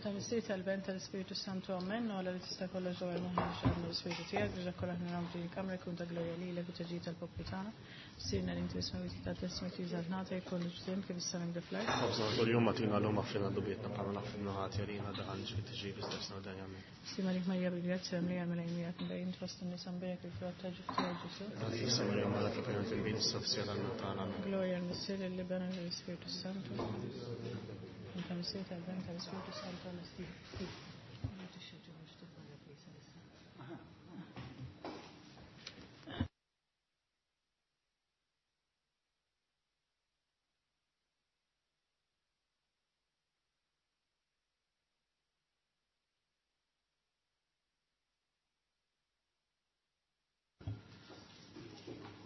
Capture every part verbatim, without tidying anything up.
Tal-Missier tal-Ben tal-Ispiritu Santu Amen, u għala li tista' kollox ġewwa moħħna x'għadna l-Ispiritu tiegħek biex dak kollha naraw din il-kamra jkun ta' glorja lilek u taġġid tal-poplu tagħna. Sirna li inti isma' wieħed ta' tisma' tiżgħat nagħti jkun ġdim kif issa minn fl-art. Ħobżna kuljum agħtina llum aħfirna dubietna bħalma naħfirna ħati għalina daħal fit-tiġrib istess dan amen. Sima lik Marija bil-grazzja mlija mela miegħek mbejn fost in-nisa mbierek il-frott ta' ġuf tiegħek Ġesù. Qaddisa Marija Malla tal-Pajjiż il-Bin is-Sofsija tal-Mewt tagħna. Amen. Glorja l-Missier l-Iben u l-Ispiritu Santu. Tal-Missier tal-Ben tal-Ispiritu Santu Amen.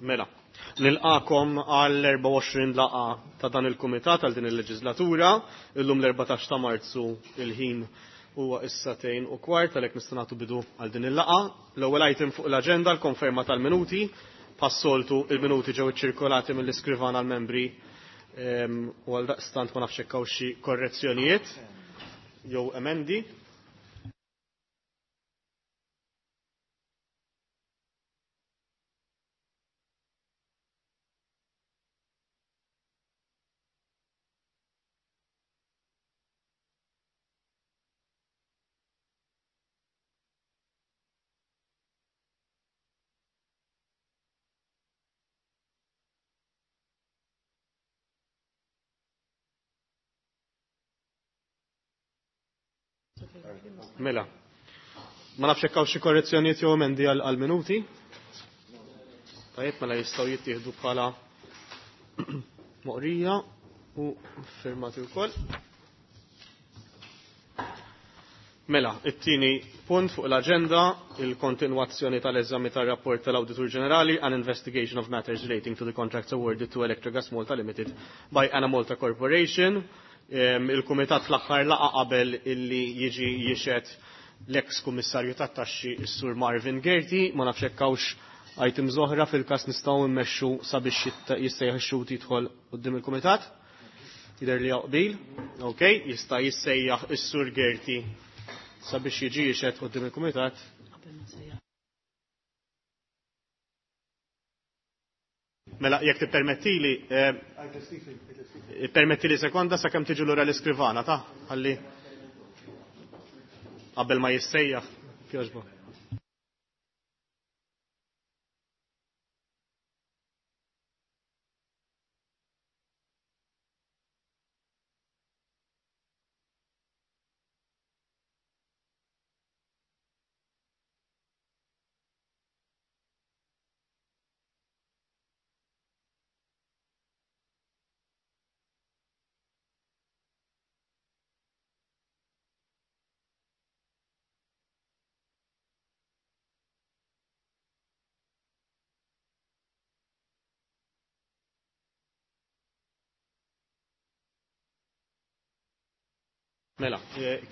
Mela, nilqakom għal erbgħa u għoxrin laqgħa ta' dan il-kumitat għal din il-leġislatura. Illum l-erbatax ta' Marzu il-ħin huwa issa tejn u kwart, għalhekk nista' nagħtu bidu għal din il-laqgħa. L-ewwel item fuq l-aġenda l-konferma tal-minuti. Passoltu il-minuti ġew iċċirkolati mill-iskrivan għall-membri u għal daqstant ma nafx hekk hawn xi korrezzjonijiet jew emendi. Mela, ma nafx hekk hawn xi korrezzjonijiet jew emendi għal minuti. Tajjeb, mela jistgħu jittieħdu bħala moqrija u firmati wkoll. Mela, it-tieni punt fuq l-aġenda, il-kontinwazzjoni tal-eżami tar-rapport tal-Awditur Ġenerali an investigation of matters relating to the contracts awarded to Electrogas Malta Limited by Enemalta Corporation. Il-Kumitat fl-aħħar laqa qabel illi jiġi jixed l-ex kummissarju tat-taxxi s-Sur Marvin Gerti, ma nafx hekk hawnx items oħra fil-każ nistgħu mmexxu sabiex jissejjaħ ix-xhud jidħol quddiem il-Kumitat. Jidher li hawn qbil. Ok, jista' jissejjaħ is-Sur Gerti sabiex jiġi jixed quddiem il-Kumitat. Mela, jekk tippermettili, permettili sekonda sakemm tiġu lura l-iskrivana ta' ħalli qabel ma jissejjaħ kjoġbu. Mela,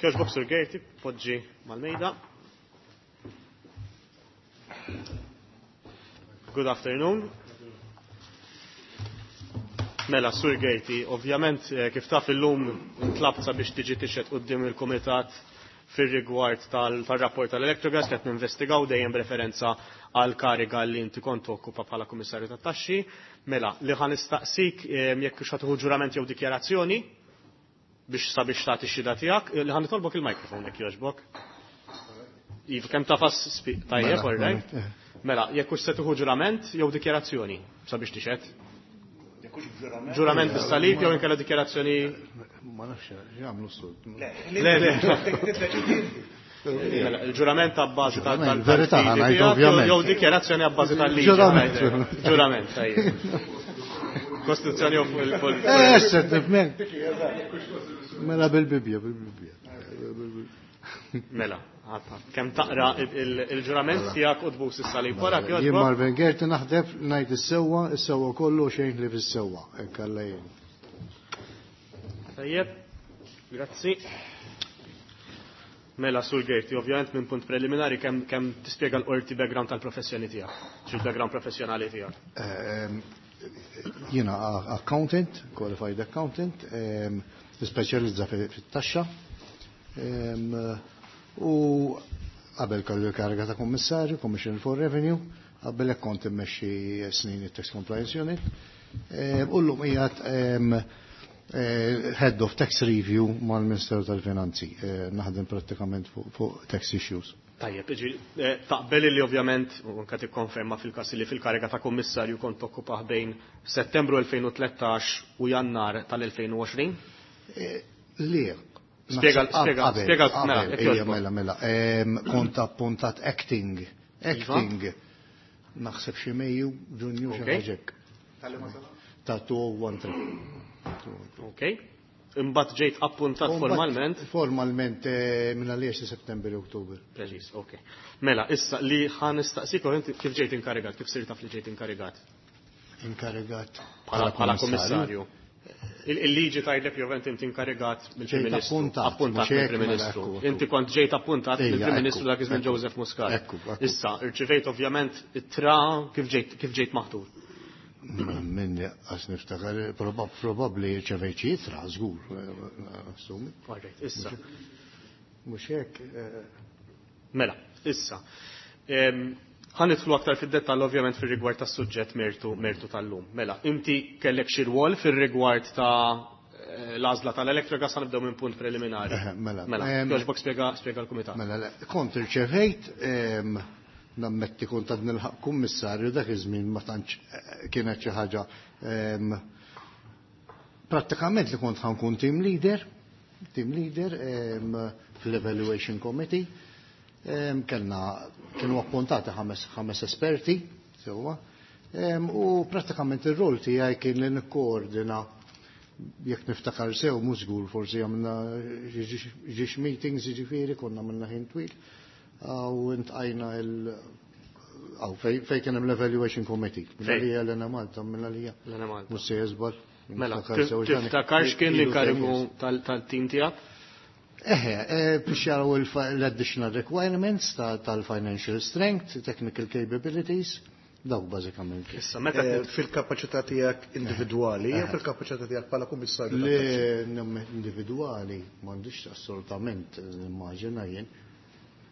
kjoġbok Sur Gerti, poġġi mal-mejda. Good afternoon. Mela, Sur Gerti, ovvjament kif taf illum intlabt sabiex tiġi tixhed quddiem il-Kumitat fir-rigward tal-rapport tal-Electrogas qed ninvestigaw dejjem b'referenza għal kariga li inti kont tokkupa bħala Kummissarju tat-Taxxi. Mela, li ħa nistaqsik jekk hux ħa tieħu ġurament jew dikjarazzjoni biex sabiex tagħti x-xhieda tiegħek, li ħa nitolbok il-mikrofon jekk jogħġbok. Iva, kemm tafas tajjeb, all right? Mela, jekk hux se tieħu ġurament jew dikjarazzjoni sabiex tixhed. Ġurament bis-salib jew inkella dikjarazzjoni. Ma nafx jagħmlu s-sod. Le, le. Mela, il-ġurament ta' bażi tal-verità, jew dikjarazzjoni a bażi tal-liġi. Ġurament. Ġurament, tajjeb. Kostituzzjoni u fuq il- Eh, tifhem. Mela bil-Bibja, bil-Bibja. Mela, kemm taqra il-ġurament tiegħek u tbus is-salib wara kif. Jien Marvin Gerti naħdeb ngħid is-sewwa, is-sewwa kollu xejn li fis-sewwa, hekk Alla jgħin. Tajjeb, grazzi. Mela, Sur Gerti, ovvjament minn punt preliminari kemm kemm tispjega l-qorti background tal-professjoni tiegħek, xi background professjonali tiegħek. Jiena accountant, qualified accountant, nispeċjalizza fit-taxxa. U qabel kellu l-kariga ta' kummissarju, Commissioner for Revenue, qabel hekk kont immexxi snin it-Tax Compliance Unit. U llum qiegħed Head of Tax Review mal-Ministeru tal-Finanzi. Naħdem prattikament fuq tax issues. Tajjeb, taqbel li ovvjament, u anka tikkonferma fil-każ li fil-kariga ta' kummissarju kont tokkupah bejn Settembru elfejn u tlettax u Jannar tal-elfejn u għoxrin? Le. Spiega, spiega, spiega, mela, jekk jogħġbok. Mela, mela. Kont appuntat acting. Acting. Naħseb xi Mejju, Ġunju, xi ħaġa hekk. Ta' two oh one three. Ok. Imbagħad ġejt appuntat formalment? Formalment minn għaliex Settembru u Ottubru. Preċiż, ok. Mela, issa li ħa nistaqsik inti kif ġejt inkarigat, kif sirt taf li ġejt inkarigat? Inkarigat bħala kummissarju. Il-liġi tgħidlek jew inti inkarigat mill-Prim Ministru. Appuntat mill-Prim Ministru. Inti kont ġejt appuntat mill-Prim Ministru dak iż-żmien Joseph Muscat. Issa, irċivejt ovvjament it-tra kif ġejt kif ġejt maħtur. Minni għax niftakar, probabbli rċevejt xi ittra, żgur, assumi. Alright, issa. Mhux hekk. Mela, issa. Ħa nidħlu aktar fid-dettall ovvjament fir-rigward tas-suġġett mertu mertu tal-lum. Mela, inti kellek xi rwol fir-rigward ta' l-għażla tal-Electrogas, ħa nibdew minn punt preliminari. Mela, mela, jogħġbok spjega spjega l-kumitat. Mela, le, kont irċevejt, nammetti kont għad nilħaq kummissarju dak iż-żmien ma tantx kienet xi ħaġa prattikament li kont ħankun team leader, team leader fl-evaluation committee. Kellna kienu appuntati ħames ħames esperti sewwa, u prattikament ir-rol tiegħi kien li nikkoordina, jekk niftakar sew mhux żgur forsi għamilna ġiex meetings, jiġifieri konna għamilna ħin twil. U intqajna il aw fej kien hemm l-evaluation committee. Minna li hija l-Enemalta, minna li hija. L-Enemalta. Mhux se jeżbal. Mela, tiftakarx kien l-inkarigu tal-team tiegħek? Eħe, biex jaraw l-additional requirements tal-financial strength, technical capabilities, dawk bażikament. Issa, meta fil-kapaċità tiegħek individwali jew fil-kapaċità tiegħek bħala kummissarju? Le, individwali m'għandix assolutament nimmaġina jien.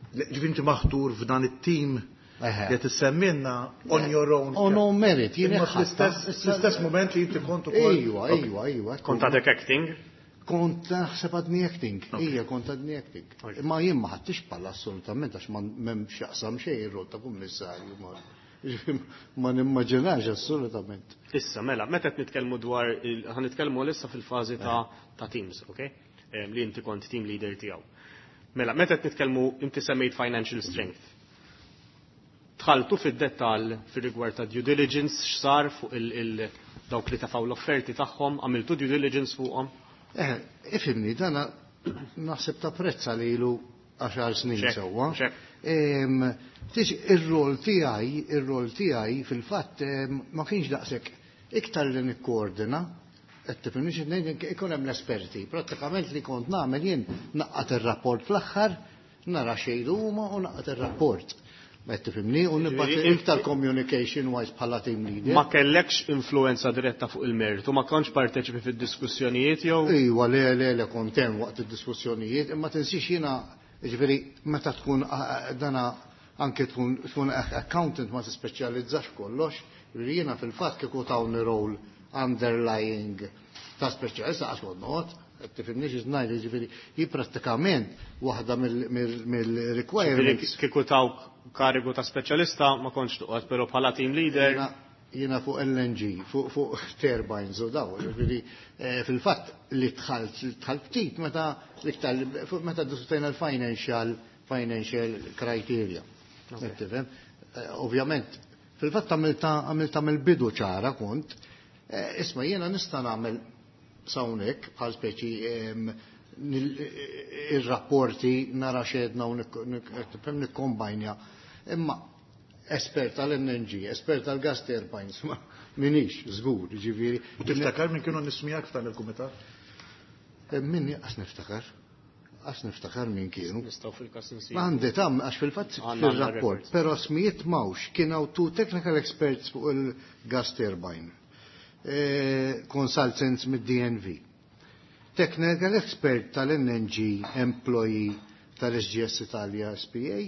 Ġifieri inti maħtur f'dan it-team li qed issemmilna on your own. On own merit, jien fl-istess moment li inti kont ukoll. Ejwa, ejwa, ejwa. Kont għadek acting? Kont naħseb għadni acting, ija kont għadni acting. Ma jien ma ħadtix bħala assolutament għax m'hemmx jaqsam xejn ir-rol ta' kummissarju ma nimmaġinax assolutament. Issa, mela, meta qed nitkellmu dwar, ħa nitkellmu issa fil-fażi ta' teams, ok? Li inti kont team leader tiegħu. Mela, meta qed nitkellmu inti semmejt financial strength. Dħaltu fid-dettall fir-rigward ta' due diligence x'sar fuq il dawk li tafaw l-offerti tagħhom, għamiltu due diligence fuqhom? Eh, ifhimni, dana naħseb ta' prezza li ilu għaxar snin sewwa. Tix ir-rol tiegħi, ir-rol tiegħi fil-fatt ma kienx daqshekk iktar li nikkoordina, qed tifhimni xi ngħid, ikun hemm l-esperti. Prattikament li kont nagħmel jien naqqat ir-rapport fl-aħħar, nara xejn huma u naqqat ir-rapport. Qed tifhimni u nibgħat iktar communication wise bħala team leader. Ma kellekx influenza diretta fuq il-mertu, ma kontx parteċipi fid-diskussjonijiet jew? Ejwa, le, le, le, kont hemm waqt id-diskussjonijiet, imma tinsix jiena, jiġifieri meta tkun dana anke tkun tkun accountant ma tispeċjalizzax kollox, jiġifieri jiena fil-fatt kieku tawni role underlying ta' speċjalista għax kont noqgħod, tifhimni xi ngħid, jiġifieri hi prattikament waħda mill-requirements. Kieku tawk karigu ta' speċjalista ma kontx toqgħod, però bħala team leader. Jiena fuq L N G, fuq turbines u daw, jiġifieri fil-fatt li dħalt dħalt ftit meta l-iktar meta diskutejna l-financial financial criteria. Tifhem? Ovvjament, fil-fatt għamilta għamilta mill-bidu ċara kont, isma' jiena nista' nagħmel hawnhekk bħal speċi ir-rapporti nara xedna u nikkombajnja. Imma espert tal-L N G, espert tal-gas turbines, ma minix, żgur, jiġifieri. U tiftakar min kienu nismijak f'dan il-kumitat? Minni qas niftakar. Qas niftakar min kienu. Nistgħu fil-każ insibu. Ma għandi tam għax fil-fatt fir-rapport, però smijiet mawx kien hawn two technical experts fuq il-gas turbine. Consultants mid-D N V. Technical Expert tal-L N G Employee tal-S G S Italia S P A,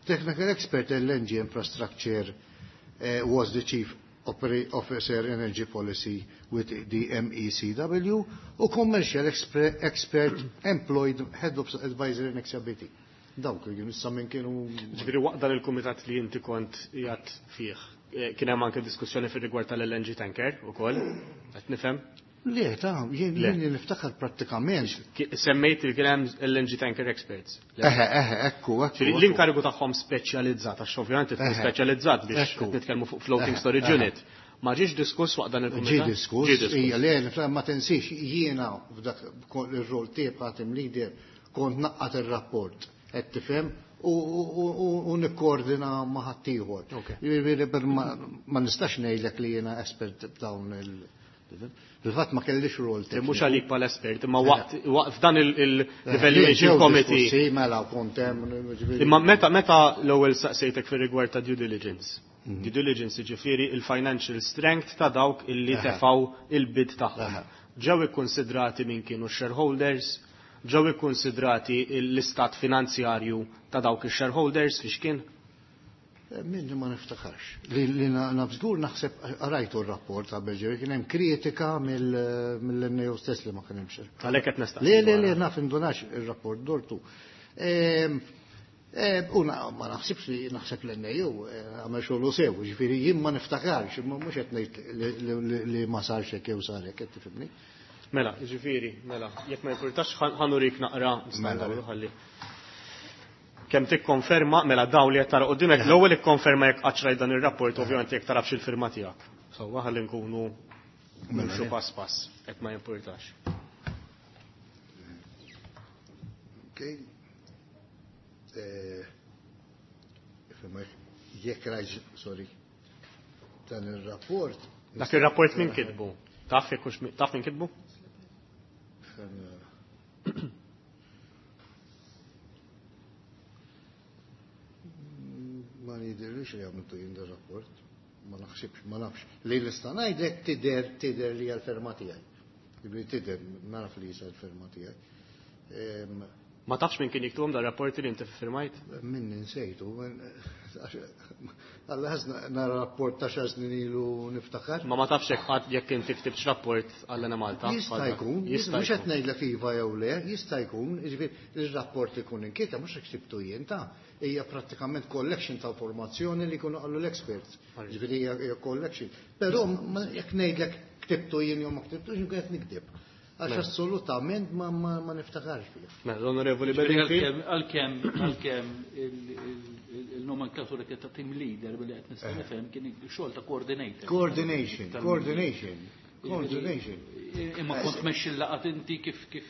Technical Expert L N G Infrastructure, uh, was the Chief Officer Energy Policy with the M E C W, u Commercial Expert Employed Head of Advisory in X B T. Dawk, issa minn kienu. Ġifieri waqt dan il-kumitat li inti kont qiegħed fih, eh, kien hemm anke diskussjoni fir-rigward tal-L N G tanker ukoll, qed nifhem? Le, ta' jien niftakar prattikament. Semmejt li kien hemm L N G tanker experts. Eħe, eħe, ekku, ekku. L-inkarigu tagħhom speċjalizzat, għax ovvjament tkun speċjalizzat biex nitkellmu fuq floating storage unit. Ma ġiex diskuss waqt dan il-kumitat? Ġie diskuss, ija, le, ma tinsiex, jiena f'dak ir-rol tiegħi bħala team leader kont ngħaqqad ir-rapport, qed tifhem, u nikkoordina ma' ħaddieħor. Ma nistax ngħidlek li jiena espert b'dawn il- Fil-fatt ma kellix rol. Mhux għalik bħal espert, imma waqt f'dan il-evaluation committee. Mela kont hemm. Imma meta meta l-ewwel saqsejtek fir-rigward ta' due diligence. Mhm. Due diligence, ġifieri il-financial strength ta' dawk illi tefaw il-bid tagħhom. Ġew ikkonsidrati min kienu shareholders, ġew ikkonsidrati l-istat finanzjarju ta' dawk il-shareholders fiex kien? Minni ma niftakarx. Li, li naf żgur, naħseb rajtu r-rapport qabel ġew, kien hemm kritika mill-N A U stess li ma kien hemmx. Għalhekk qed nistaqsi. Le, le, le, naf indunax ir-rapport dortu. U ma naħsibx li naħseb l-N A U għamel xogħlu sew, ġifieri jien ma niftakarx, imma mhux qed ngħid li ma sarx hekk jew sar hekk, qed tifhimni. Mela, ġifieri, mela, jekk ma jimpurtax ħa nurik naqra, Mela. ħalli. Kemm tikkonferma, mela daw li qed tara quddiemek, l-ewwel ikkonferma jekk qatt dan ir-rapport, ovvjament jekk tarafx il-firma tiegħek. Sewwa, ħalli nkunu nimxu pass pass, jekk ma jimpurtax. Okay. Eh, jekk rajt, sorry, dan il-rapport. Dak il-rapport min kitbu? Taf jekk hux taf min kitbu? Eh, Ma jidirlix li għamiltu jien rapport. Ma naħsibx, ma nafx. Li nista' ngħidlek tidher tidher li l-ferma tiegħi. Jiġifieri tidher, naraf li jisa l-ferma tiegħi. Em, Ma tafx min kien jiktubhom dar rapporti li inti firmajt? Min nsejtu, għalla ħazna nara rapport ta' xar snin ilu niftakar. Ma ma tafx jekk qatt jekk inti ktibx rapport għall-Enemalta? Jista' jkun, Jista' mhux qed jkun. ngħidlek iva jew le, jista' jkun, jiġifieri ir-rapport ikun inkita mhux ktibtu jien ta' hija prattikament collection ta' informazzjoni li jkunu qallu l-experts. Jiġifieri hija hija collection. Però ma- jekk ngħidlek ktibtu jien jew ma ktibtux, nkun qed nikdeb. Għax assolutament ma, ma, ma niftakarx fih. Mela, l-Onorevoli Bedingfield. Għalkemm, għalkemm il-nomenklatura kien ta' team leader billi qed nista' nifhem kien xogħol ta' coordinator. Coordination, coordination, coordination. Imma kont tmexxi l-laqgħat inti kif kif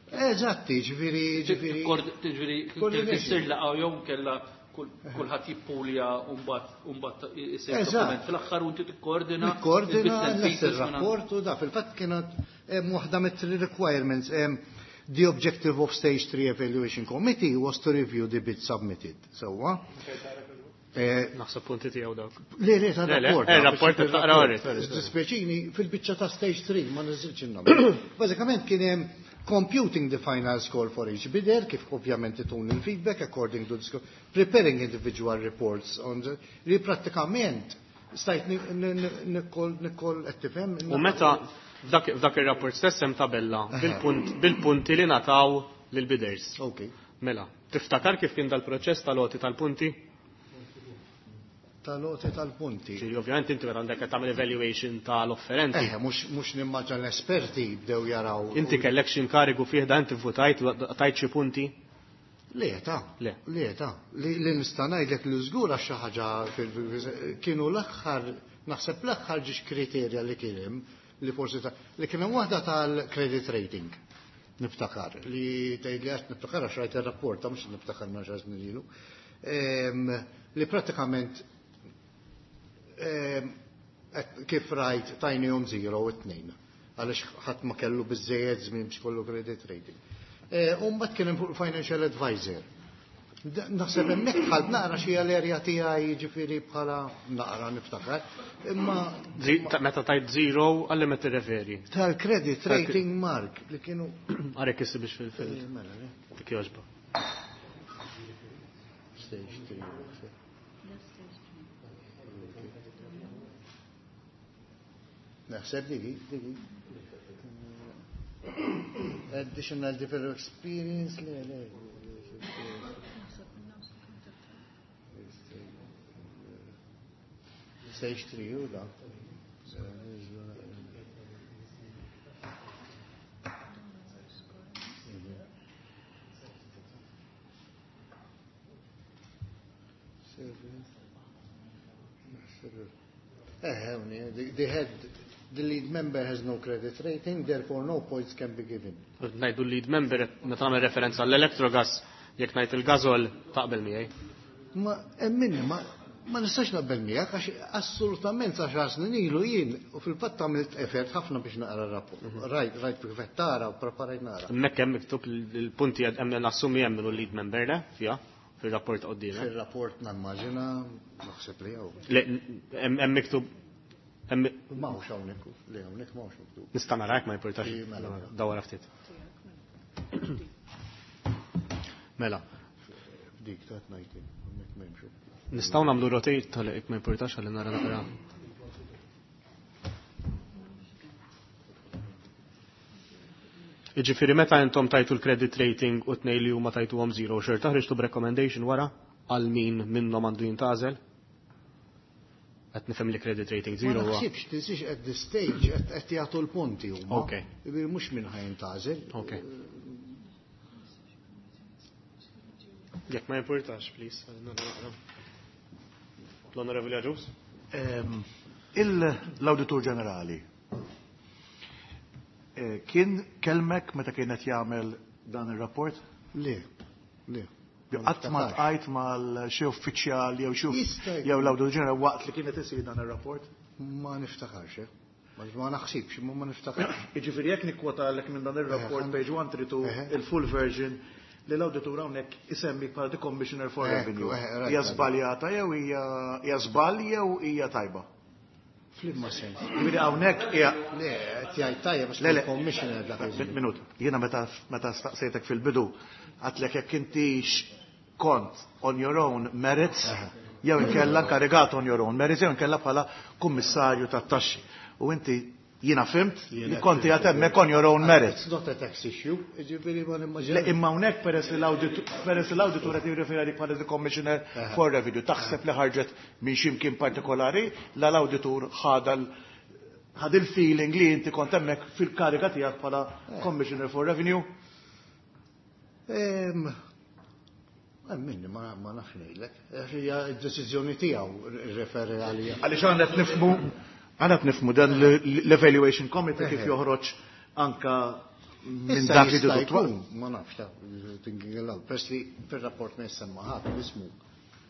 Eżatti, ġifieri, ġifieri. Ġifieri Coordination. tissir laqgħa jew kella kulħadd jippulja u mbagħad u mbagħad isir Eżatt. dokument fl-aħħar u inti tikkoordina Nikkoordina il-bits and l pieces minn rapport u da fil-fatt kienet em, waħda mit requirements em, the objective of stage three evaluation committee was to review the bid submitted. Sewwa. Eh, Naħseb punti tiegħu dawk. Le, le, ta' Le, le, rapport. eh, rapport ta' taqra għorri, sorry, sorry. Dispjaċini, fil-biċċa ta' stage three ma niżilx il-nom. Bażikament kien hemm computing the final score for each bidder, kif ovvjament itun il-feedback according to the score, preparing individual reports on the, li prattikament stajt nikkol nikkol qed tifhem. U meta f'dak f'dak ir-rapport stess hemm tabella bil-punt bil-punti li ngħataw lil bidders. Ok. Mela, tiftakar kif kien dal-proċess tal-għoti tal-punti? Tal-għoti tal-punti. Ġifieri ovvjament inti meta għandek qed tagħmel evaluation tal-offerenti. Eh, mhux mhux nimmaġina l-esperti bdew jaraw. Inti kellek xi inkarigu fih da, inti votajt, tajt xi punti? Le, ta' Le. Le, ta' li, li nista' ngħidlek li żgur għax xi ħaġa fil- fil- kienu l-aħħar, naħseb l-aħħar ġiex kriterja li kien hemm li forsi ta' li kien hemm waħda tal-credit rating. Niftakar li tgħid li għax niftakar għax rajt ir-rapport, ta' mhux niftakar ma xar snin ilu. Em, Li prattikament em, et- kif rajt tajnihom zero u tnejn għaliex ħadd ma kellu biżejjed żmien biex kollu credit rating. Eh, U mbagħad kien hemm fuq financial advisor. Naħseb hemmhekk dħalt naqra xi l-erja tiegħi jiġifieri bħala naqra niftakar. Imma meta tajt zero għalli ma tirreferi. Tal-credit rating mark li kienu. Għarek issi biex fil-fil. Dik jogħġba. Stage three. Naħseb digi, digi. Additional developer experience, le, le. Stage three, u da. Eh, the head, the lead member has no credit rating, therefore no points can be given. Ngħidu lead member, meta nagħmel referenza għall-Electrogas, jekk ngħid il-Gasol taqbel miegħi. Ma emminni, ma ma nistax naqbel miegħek għax assolutament għaxar snin ilu jien u fil-fatt għamilt effort ħafna biex naqra r-rapport. Rajt, rajt kif qed tara u preparajt nara. Hemmhekk hemm miktub il-punti hemm nassumi hemm minnu lead member le fiha fir-rapport qoddiemek. Fir-rapport nammaġina naħseb li hawn. Le, hemm miktub Ma hawnx hawnhekk, le hawnhekk ma hawnx miktub. Nista' narak ma jimpurtax. Dawra ftit. Mela. Dik ta' tnajtin, hemmhekk m'hemmx. Nistgħu nagħmlu rotate tal-jekk ma jimpurtax ħalli nara naqra. Jiġifieri meta intom tajtu l-credit rating u tnej li huma tajtuhom zero, xorta ħriġtu b'recommendation wara għal min minnhom għandu jintgħażel? Qed nifhem li credit rating zero Ma huwa. naħsibx, tinsiex at this stage qed jagħtu l-punti huma. Ok. Jiġifieri mhux min ħa jintgħażel. Ok. Jekk ma jimpurtax, please. L-Onorevoli Agius? L-Awditur Ġenerali kien kelmek meta kienet jagħmel dan ir-rapport? Le, le. Qatt ma tqajt mal xi uffiċjal jew xi jew l-Awditur Ġenerali waqt li kienet isir dan ir-rapport? Ma niftakarx, eh. Ma naħsibx, ma niftakarx. Jiġifieri jekk nikkwotalek minn dan ir-rapport page one three two il-full version li l-awditur hawnhekk isemmi bħala the Commissioner for Revenue. Hija żbaljata jew hija żball jew hija tajba? Flimma sens. Jiġifieri hawnhekk hija Le, qed jgħid tajjeb għax il-Commissioner dak iż-żmien. Minut. Jiena meta meta staqsejtek fil-bidu għadtlek jekk intix kont on your own merits jew inkella inkarigat on your own merits jew inkella bħala kummissarju tat-taxxi. U inti jiena fhimt li konti għad hemmhekk on your own merits. It's not a tax issue, jiġifieri ma nimmaġinax. Le, imma hawnhekk peress li l-awditur qed jirreferi għalik bħala the Commissioner for Revenue, taħseb li ħarġet minn xi mkien partikolari, la l-awditur ħadha ħad il-feeling li inti kont hemmhekk fil-kariga tiegħek bħala Commissioner for Revenue? Minni ma nafx ngħidlek. Hija d-deċiżjoni tiegħu rreferi għalija. Għaliex għandna qed nifhmu għandna qed nifhmu dan l-Evaluation Committee kif joħroġ anka minn dak li jkun, ma nafx ta' thinking aloud. Peress li fir-rapport ma jissemma ħadd ismu.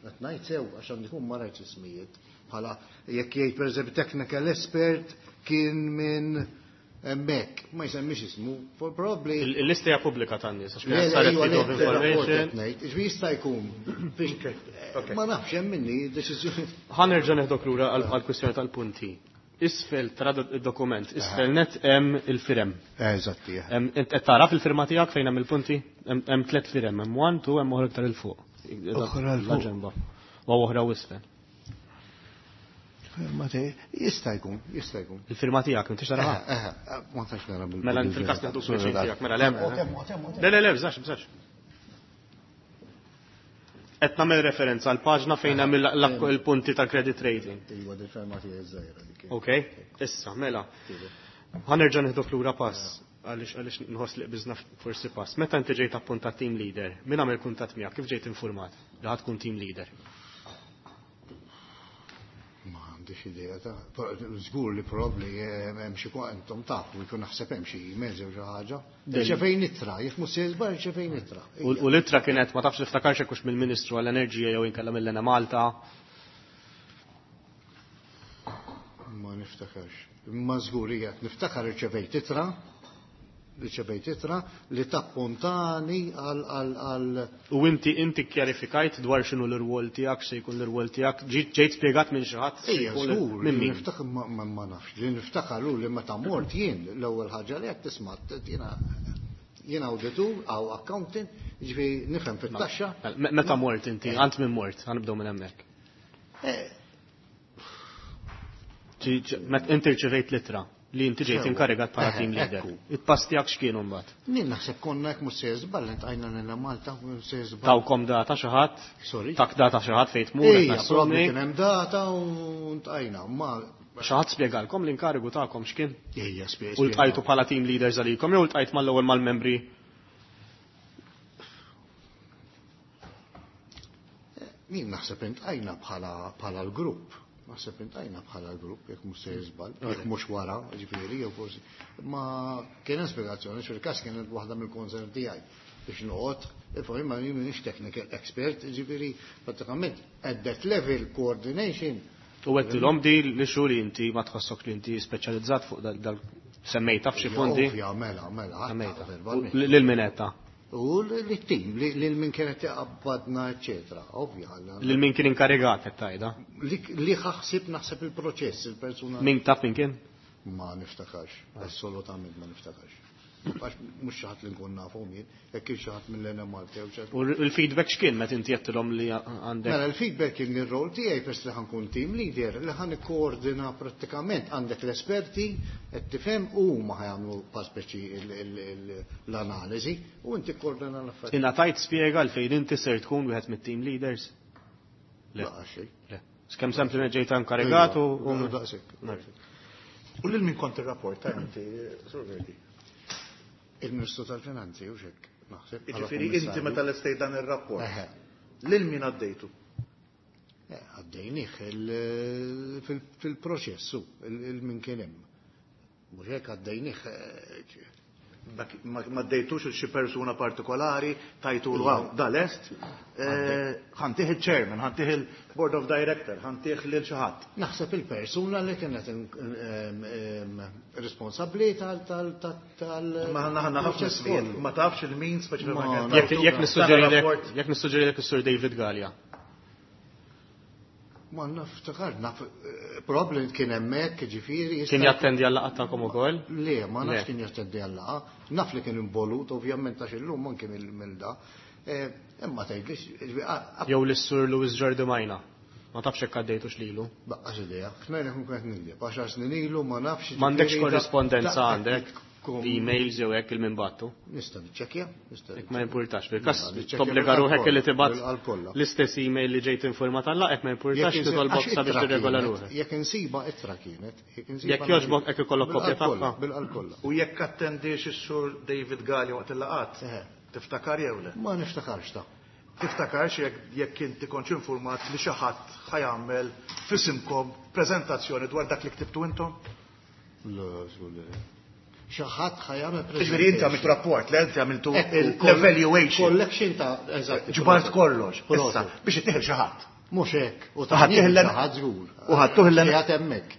Qed ngħid sew għax għandi jkun ma rajtx ismijiet. Bħala jekk jgħid pereżempju technical expert kien minn hemmhekk, ma jsemmix ismu, probably. Il-lista hija pubblika tan-nies għax kienet saret freedom of information. Ġifieri jista' jkun. Ma nafx hemm minni deċiżjoni. Ħa nerġa' neħdok lura għall-kwistjoni tal-punti. Isfel tara id-dokument, isfel net hemm il-firem. Eżatti. Int qed tara fil-firma tiegħek fejn hemm il-punti? Hemm tliet firem, hemm one, two, hemm oħra iktar il fuq. Oħra 'l fuq. U oħra isfel. Firma tiegħi jista' jkun, jista' jkun. Il-firma tiegħek m'intix taraha? Eh, ma tax nara bil. Mela fil-każ nieħdu switching tiegħek, mela le. Le, le, le, bżax, bżax. Qed nagħmel referenza għal paġna fejn hemm il-punti tal-credit rating. Iva, il-firma tiegħi żgħira dik. Ok, issa, mela. Ħa nerġa' nieħdok lura pass għaliex għaliex nħoss li qbiżna forsi pass. Meta inti ġejt appuntat team leader, min għamel kuntatt miegħek, kif ġejt informat li ħa tkun team leader? Ma għandix idea ta' żgur li probabbli hemm xi intom tafu jkun naħseb hemm xi emails jew xi ħaġa. Rċevejn ittra, jekk mhux se żbar rċevejn ittra. U l-ittra kienet ma tafx tiftakarx hekk hux mill-Ministru għall-Enerġija jew inkella mill-Enemalta. Ma niftakarx. Imma żgur hija niftakar irċevejt ittra Riċevejt ittra li tappuntani għal għal U inti inti kjarifikajt dwar x'inhu l-irwol tiegħek, se jkun l-irwol tiegħek, ġejt spjegat minn xi ħadd. Ejja, żgur, minn min? Niftakar ma nafx, li niftakar hu li meta mort jien l-ewwel ħaġa li qed tisma' jiena jien awditur aw accountant, jiġifieri nifhem fit-taxxa. Meta mort inti, għand minn mort, ħanibdew minn hemmhekk. Inti rċevejt l-ittra li inti ġejt inkarigat bħala team leader. Il-pass tiegħek x'kienu mbagħad? Nien naħseb konna hekk mhux se żball intqajna lil Malta mhux se żball. Tawkom data xi ħadd? Sorry. Tak data xi ħadd fejn tmur qed nassumi. Kien hemm data u ntqajna. Ma xi ħadd spjegalkom l-inkarigu tagħkom x'kien? Ejja, spjega. U ltqajtu bħala team leaders għalikom jew ltqajt mal-ewwel mal-membri? Nien naħseb intqajna bħala l-grupp. Naħseb intajna bħala l-grupp, jekk mhux se jiżball, jekk mhux wara, ġifieri, jew forsi. Ma kien hemm spjegazzjoni, fil-każ kienet waħda mill-concern tiegħi biex noqgħod, ifhem imma jien m'iniex technical expert, ġifieri prattikament at that level coordination. U għedtilhom di li xu li inti ma tħossok li inti speċjalizzat fuq dal semmejta f'xi fondi? Ovvja, mela, mela, semmejta. Lil minetta. U l-tim, lil min kienet jaqbadna, eccetera, ovvja. Lil min kien inkarigat qed tgħidha? Li ħaħsib naħseb il-proċess, il-persuna. Min taf min kien? Ma niftakarx, assolutament ma niftakarx. Għax mhux xi ħadd li nkun nafhom jien, jekk kien xi ħadd mill-N M Malta jew xi ħadd. U l-feedback x'kien meta inti għedtilhom li għandek? Mela l-feedback kien ir-rol tiegħi peress li ħankun team leader li ħan ikkoordina prattikament għandek l-esperti qed tifhem u huma ħajamlu pa speċi l-analiżi u inti kkoordina l-affarijiet. Ingħatajt spjega għalfejn inti ser tkun wieħed mit-team leaders? Le. Xejn. Le. Skemm sempliċement ġejt inkarigat u daqshekk. U lil min kont irrapporta inti, Sur Verdi? Il-Ministru tal-Finanzi, u xek, naħseb. Jiġifieri inti meta lestejt dan ir-rapport, lil min għaddejtu? Għaddejnih fil-proċessu, il-min kien hemm. Mhux hekk għaddejnih. Ma għaddejtux il xi persuna partikolari, tajtu l-għaw, dal-est, ħantih il-chairman, ħantih il-board of director, ħantih lil xi ħadd. Naħseb il-persuna li kienet responsabbli tal tal tal Ma ħanna ħafna snin, ma tafx il-min speċifikament. Jekk nissuġġerilek is-Sur David Galea. Ma naftakar, naf, probabli kien hemmhekk, ġifieri. Kien jattendi għal-laqgħa tagħkom ukoll? Le, ma nafx kien jattendi għal-laqgħa. Naf li kien involut, ovvjament għax illum anke mill da. Imma tgħidlix. Jew lis-Sur Louis Giardimajna. Ma tafx hekk għaddejtux lilu. Baqqax idea. Xmejn ikun qed nigdeb, għaxar snin ilu ma nafx. M'għandekx korrispondenza għandek? Emails jew hekk il-min battu. Nista' niċċekkja, nista' Hekk ma jimpurtax, fil-każ tobbliga ruħek li tibgħat l-istess email li ġejt informat għal hekk ma jimpurtax titolbok sabiex tirregola ruħek. Jekk insiba ittra kienet, jekk insiba. Jekk jogħġbok hekk ikollok kopja tagħha. Bil-qalb kollha. U jekk attendix is-Sur David Galea waqt il-laqgħat, tiftakar jew le? Ma niftakarx ta'. Tiftakarx jekk inti kontx informat li xi ħadd ħajamel f'isimkom preżentazzjoni dwar dak li ktibtu intom? Le, żgur le. Xi ħadd ħajamel preżentazzjoni. Ġifieri inti għamiltu rapport, le inti għamiltu l-evaluation. Collection ta' eżatt. Ġbart kollox. Issa biex ittieħel xi ħadd. Mhux hekk. U ħadd ħadd żgur. U ħadtuh l qiegħed hemmhekk.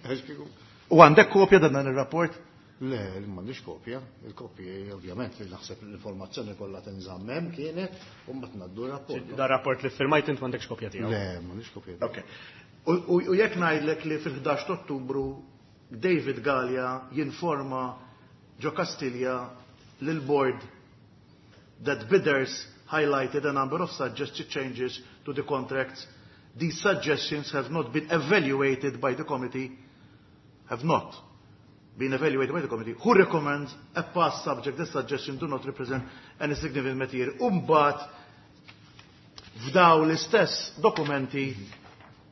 U għandek kopja dan ir-rapport? Le, m'għandix kopja. Il-kopji ovvjament li naħseb l-informazzjoni kollha tinżamm hemm kienet u mbagħad ngħaddu r-rapport. Da rapport li ffirmajt int m'għandekx kopja tiegħu. Le, m'għandix kopja. Ok. U jekk ngħidlek li fil-ħdax ta' Ottubru David Galea jinforma ġo Kastilja lil-board that bidders highlighted a number of suggested changes to the contracts. These suggestions have not been evaluated by the committee, have not been evaluated by the committee, who recommends a past subject. The suggestions do not represent any significant material. Umbat, f'daw l-istess dokumenti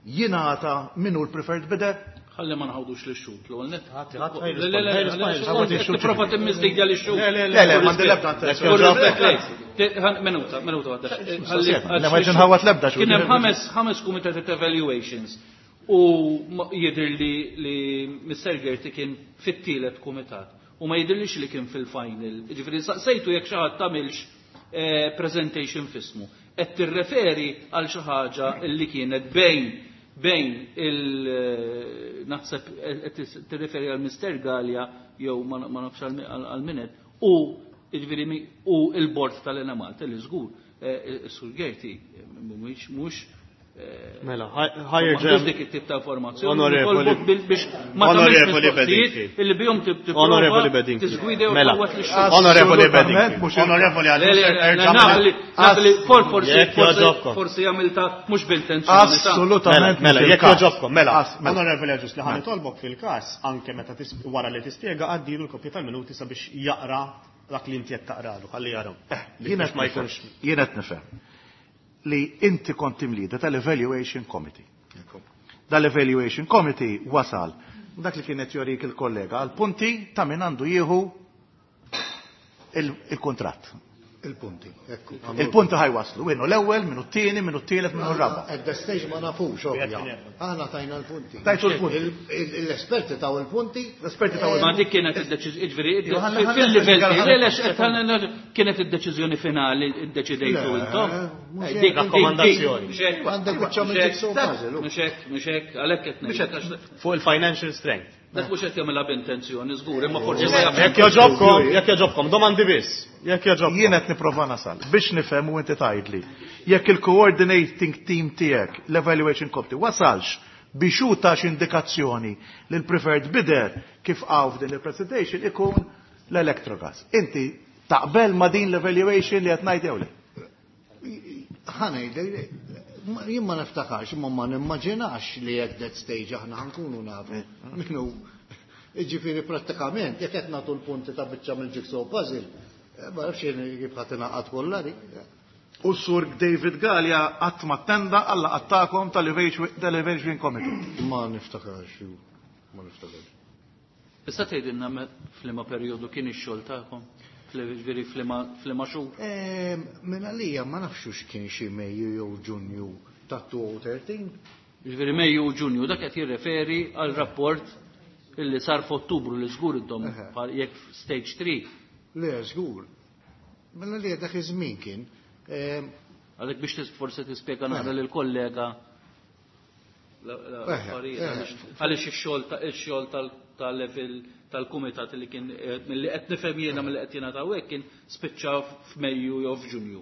jingħata minnu l-preferred bidder. Ħalli ma nħawdux li xut, l-ewwel nett. Le, le, le, tipprova timmisdejja li xut. Le, le, m'għandi l-ebda attenzjoni. Minuta, minuta waħda. Le, ma ġinħawat l-ebda xut. Kien hemm ħames ħames kumitati ta' evaluations u jidher li li Mister Gerti kien fit-tielet kumitat u ma jidhirlix li kien fil-final. Jiġifieri saqsejtu jekk xi ħadd tagħmilx presentation f'ismu. Qed tirreferi għal xi ħaġa li kienet bejn bejn il naħseb tirreferi għal Mister Galea jew ma nafx għal minet U jiġifieri u l-bord tal-Enemalta li żgur is-Sur Gerti mhuwiex mhux Mela, higher ġem. Dik it-tip ta' informazzjoni. Onorevoli biex ma Onorevoli Bedingfield. Illi bihom Onorevoli Bedingfield. Tiżgwida Mela, Onorevoli Bedingfield. Onorevoli Għalli forsi forsi għamilta mhux b'intenzjoni. Assolutament. Mela, jekk jogħġobkom, mela. Onorevoli Agius, li ħa nitolbok fil-każ anke meta wara li tispjega għaddilu l-kopja tal-minuti sabiex jaqra dak li inti qed taqralu, ħalli jaraw. Jien ma jkunx. Jien qed nifhem li inti kont team leader tal-Evaluation Committee. Dal-Evaluation Committee wasal dak li kienet jorik il-kollega għal punti ta' min għandu jieħu il-kontratt. Il-punti, ekku. Il-punti ħajwaslu, minnu l-ewwel, minnu t-tieni, minnu t-tielet, minnu r-raba'. At the stage ma nafux, ovvja. Aħna tajna l-punti. Tajtu l-punti. L-esperti taw il-punti. L-esperti taw il-punti. Ma dik kienet id-deċiżjoni, ġifieri, fil-livell kienet id-deċiżjoni finali iddeċidejtu intom. Dik rakkomandazzjoni. Għandek biċċa minn jigsaw puzzle. Mhux hekk, mhux hekk, għalhekk qed ngħid. Fuq il-financial strength. Dak mhux qed jagħmilha b'intenzjoni, żgur, imma forsi ma jafx. Jekk jogħġobkom, jekk jogħġobkom, domandi biss. Jekk jogħġobkom. Jien qed nipprova nasal biex nifhem u inti tgħidli. Jekk il-coordinating team tiegħek, l-evaluation committee, wasalx biex hu tax indikazzjoni li l-preferred bidder kif hawn f'din il-presentation ikun l-Electrogas. Inti taqbel ma din l-evaluation li qed ngħid jew le? Ħa ngħidlek, jien ma niftakarx, imma ma nimmaġinax li at that stage aħna ħankunu nafu. Minnu, ġifieri prattikament, jekk qed nagħtu l-punti ta' biċċa mill-jigsaw puzzle, ma nafx jien kif ħadd ingħaqad kollha dik. U s-sur David Galea qatt ma attenda għal laqgħat tal-Evaluation Committee. Ma niftakarx, ma niftakarx. Issa tgħidilna f'liema perjodu kien ix-xogħol tagħkom? Ġifieri f'liema xhur? Minn għalija ma nafx x'kien xi Mejju jew Ġunju ta' elfejn u tlettax. Ġifieri Mejju u Ġunju dak qed jirreferi għal rapport illi sar f'Ottubru li żgur intom jekk stage three. Le, żgur. Minn għalija dak iż-żmien kien. Għalhekk biex forsi tispjega naqra lill-kollega għaliex ix-xogħol tal-level tal-kumitat li kien milli qed nifhem jiena milli qed jingħataw hekk kien spiċċa f'Mejju jew f'Ġunju.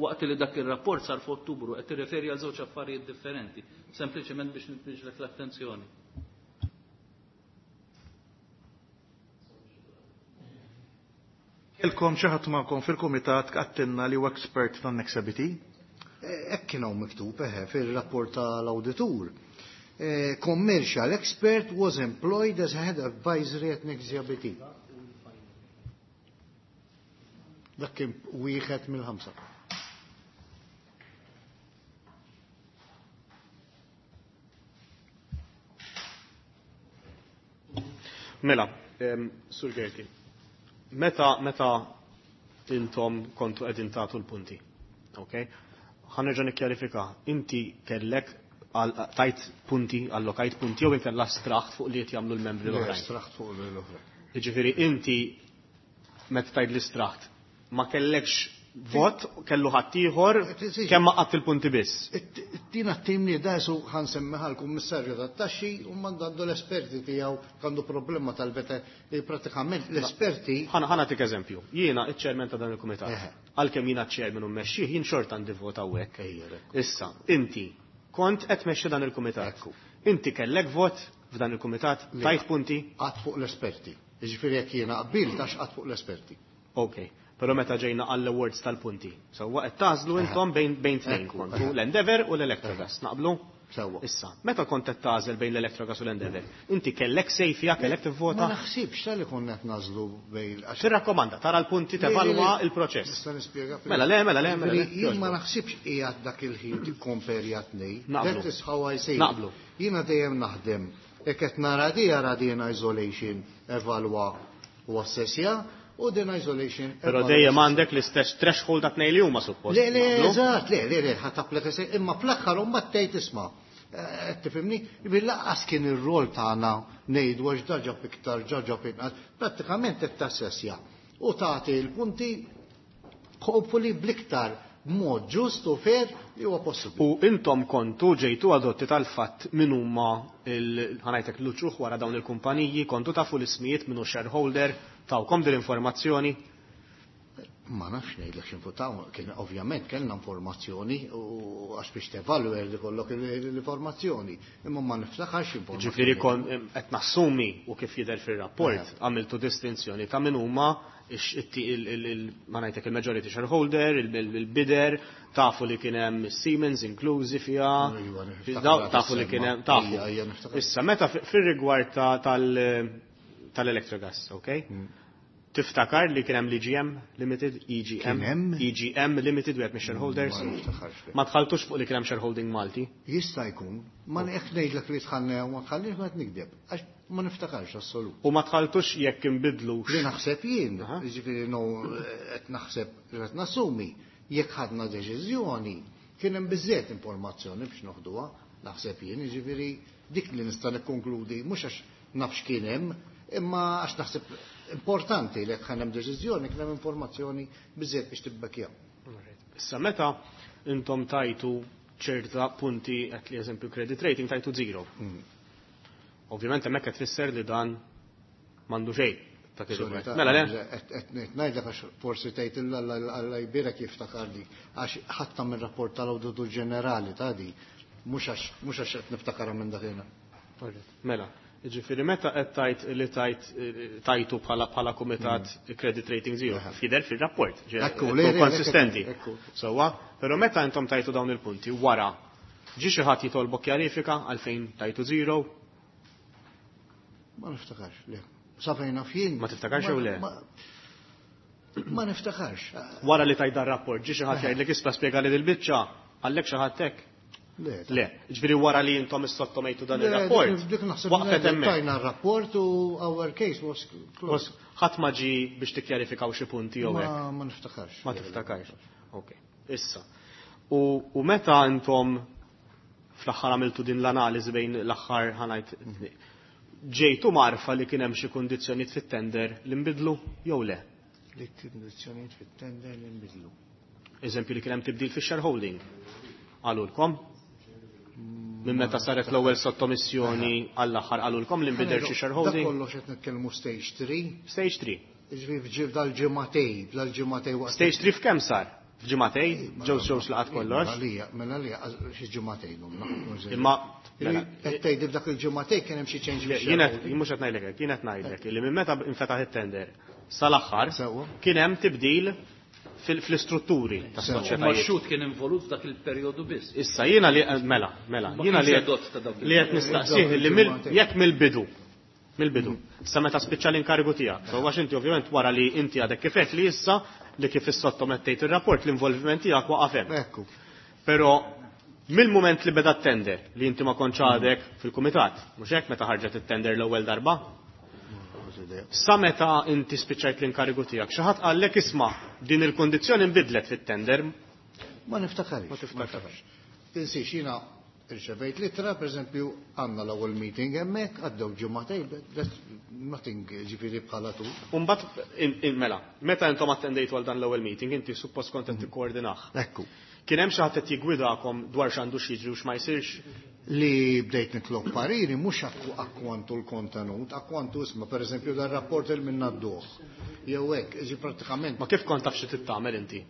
Waqt li dak ir-rapport sar f'Ottubru qed tirreferi għal żewġ affarijiet differenti, sempliċement biex nitniġlek l-attenzjoni. Ilkom xi ħadd magħkom fil-kumitat qattilna li huwa expert tan-Nexia B T? Hekk kien hawn miktub eħe fir-rapport tal-awditur. Commercial expert was employed as a head advisory at Nexia B T. Dak kien wieħed mill-ħamsa. Mela, Sur Gerti, meta meta intom kontu qegħdin tagħtu l-punti, ok? Ħa nerġa' nikkjarifika, inti kellek tajt punti, allokajt punti, jew inkella straħt fuq li qed jagħmlu l-membri l-oħrajn. Straħt fuq l-oħrajn. Jiġifieri inti meta tgħid li straħt, ma kellekx vot, kellu ħadd ieħor kemm ma qatt il-punti biss. Tina t-tim li dasu ħansemmiha l-kummissarju tat-taxxi u mandandu l-esperti tiegħu għandu problema tal-beta pratikament l-esperti. Ħa nagħtik eżempju. Jiena iċ-chairman ta' dan il-kumitat. Għalkemm jiena ċ-chairman u mmexxih, jien xorta għandi vot hawnhekk. Issa, inti kont qed tmexxi dan il-kumitat. Inti kellek vot f'dan il-kumitat, tajt punti? Qatt fuq l-esperti. Jiġifieri jekk jiena qbilt għax qatt fuq l-esperti. Ok. Però meta ġejna għall-awards tal-punti. Sewwa qed tażlu intom bejn bejn tnejn kontu l-Endeavour u l-Electrogas. Naqblu? Sewwa. Issa, meta kont qed tażel bejn l-Electrogas u l-Endeavour, inti kellek sejfja, kellek tivvota? Ma naħsibx tal-li konna qed nażlu bejn għax Tirrakkomanda, tara l-punti, tevalwa il-proċess. Nista' nispjega. Mela le, mela le, mela le. Jien ma naħsibx qiegħed dak il-ħin tikkomperja tnejn. Naqblu. That is how I say. Naqblu. Jiena dejjem naħdem. Jekk qed nara di ara di in isolation, evalwa u assessja, u din isolation. Però dejjem għandek l-istess threshold ta' tnejn li huma suppost. Le, le, eżatt, le, le, le, ħa tapplika se, imma fl-aħħar u mbagħad tgħid isma'. Tifhimni? Bil-laqqas kien ir-rol tagħna ngħidu għax da ġab iktar, ġa ġab inqas, prattikament qed tassessja u tagħti l-punti hopefully bl-iktar b'mod ġust u fair li huwa possibbli. U intom kontu ġejtu adotti tal-fatt min huma ħanajtek l-uċuħ wara dawn il-kumpaniji, kontu tafu l-ismijiet minnu shareholder, Tawkom din l-informazzjoni? Ma nafx ngħidlek x'infutaw, kien ovvjament kellna informazzjoni u għax biex tevalwa li kollok l-informazzjoni, imma ma niftakarx informazzjoni. Ġifieri kon qed nassumi u kif jidher fir-rapport għamiltu distinzjoni ta' min huma ma ngħidlek il-majority shareholder, il-bidder, tafu li kien hemm Siemens inklużi fiha, tafu li kien hemm tafu. Issa meta fir-rigward tal-Electrogas, okay? Tiftakar li kien hemm l-E G M Limited, E G M, E G M Limited, wieħed mix-shareholders. Ma dħaltux fuq li kien hemm shareholding Malti? Jista' jkun, ma jekk ngħidlek li dħalna jew ma dħalniex ma qed nikdeb, għax ma niftakarx assolut. U ma dħaltux jekk inbidlux. Li naħseb jien, jiġifieri no qed naħseb li qed nassumi, jekk ħadna deċiżjoni, kien hemm biżżejjed informazzjoni biex noħduha, naħseb jien, jiġifieri dik li nista' nikkonkludi mhux għax naf x'kien hemm, imma għax naħseb importanti li jekk hemm deċiżjoni kien hemm informazzjoni biżżejjed biex tibbekja. Issa meta intom tajtu ċerta punti qed li eżempju credit rating tajtu zero. Ovvjament hemmhekk qed tfisser li dan m'għandu xejn ta' kif Sorry, ikun. Mela le? Qed ngħidlek għax forsi tgħid illa Alla jbierek jiftakarli għax ħadd mir-rapport tal-Awditur Ġenerali ta' di mhux għax mhux għax qed niftakarha minn dakinhar. Mela, jiġifieri meta qed tajt li tajt tajtu bħala bħala kumitat credit rating zero, jidher fir-rapport, ġe- Ekku, tkun le, le, le, konsistenti. ekku. Sewwa, però meta intom tajtu dawn il-punti wara, ġie xi ħadd jitolbok kjarifika għalfejn tajtu zero? Ma niftakarx, le. Sa fejn naf jien. Ma tiftakarx jew le? Ma, ma niftakarx. Wara li tajt dan rapport, ġie xi ħadd jgħidlek isma' spjega li dil-biċċa, għallek xi ħadd hekk? Le. Le, ġifieri wara li intom issottomejtu dan Le, ir-rapport. dik, dik naħseb Waqfet li hemmhekk. Tajna r-rapport u our case was closed. Ħadd ma ġie biex tikkjarifikaw xi punti jew hekk. Ma, ma niftakarx. Ma tiftakarx. Ok, issa. U, u meta intom fl-aħħar għamiltu din l-analiżi bejn l-aħħar ħanajt ġejtu marfa li kien hemm xi kundizzjonijiet fit-tender li nbidlu jew le? Li kundizzjonijiet fit-tender li nbidlu. Eżempju li kien hemm tibdil fix-shareholding. Qalulkom? Minn meta saret l-ewwel sottomissjoni għall-aħħar qalulkom li nbidel xi shareholding? Dak kollox qed nitkellmu stage three. Stage three. Jiġifieri f'ġi-, f'dal-ġimgħatej, f'dal-ġimgħatej waqt Stage three f'kemm sar? F'ġimgħatej? Ġew ġew laqat kollox? Mela lija, mela lija, xi ġimgħatej numna. Imma, mela, Qed tgħid f'dak il-ġimgħatej kien hemm xi change Le, fix-shareholding. jien qed, jien mhux qed ngħidlek hekk, jien qed ngħidlek li minn meta infetaħ it-tender sal-aħħar Sewwa. kien hemm tibdil fil-, fl-istrutturi tas-soċjetajiet. Ma x-xhud kien involut f'dak il-perjodu biss. Issa jiena li mela, mela, Ma jiena kienx li edott ta' dawk li qed nistaqsih li mill-, jekk mill-bidu, mill-bidu, sa meta spiċċa l-inkarigu tiegħek. So għax inti ovvjament wara li inti għadek kif qed li issa li kif issottomettejt ir-rapport l-involviment tiegħek waqaf hemm. Ekku. Però mill-mument li beda t-tender li inti ma kontx għadek fil-kumitat, mhux hekk meta ħarġet it-tender l-ewwel darba? Sa meta inti spiċċajt l-inkarigu tiegħek, xi ħadd qallek isma' din il-kundizzjoni nbidlet fit-tender? Ma niftakarx. Ma tiftakarx. Tinsiex jiena irċevejt litra, pereżempju, għandna l-ewwel meeting hemmhekk, għaddew ġimgħatej, that's nothing ġifieri bħala tu. U mbagħad in-, in-, mela, meta intom attendejtu għal dan l-ewwel meeting, inti suppost kont qed tikkoordinah. Ekku. Kien hemm xi ħadd qed jiggwidakom dwar x'għandu x'jiġri u x'ma jsirx? Li bdejt nitlob pariri mhux akku-, akkwantu l-kontenut, akkwantu isma' pereżempju dan rapport il minna d-duħ. Jew hekk, ġi prattikament. Ma kif kont taf xi tittamel inti?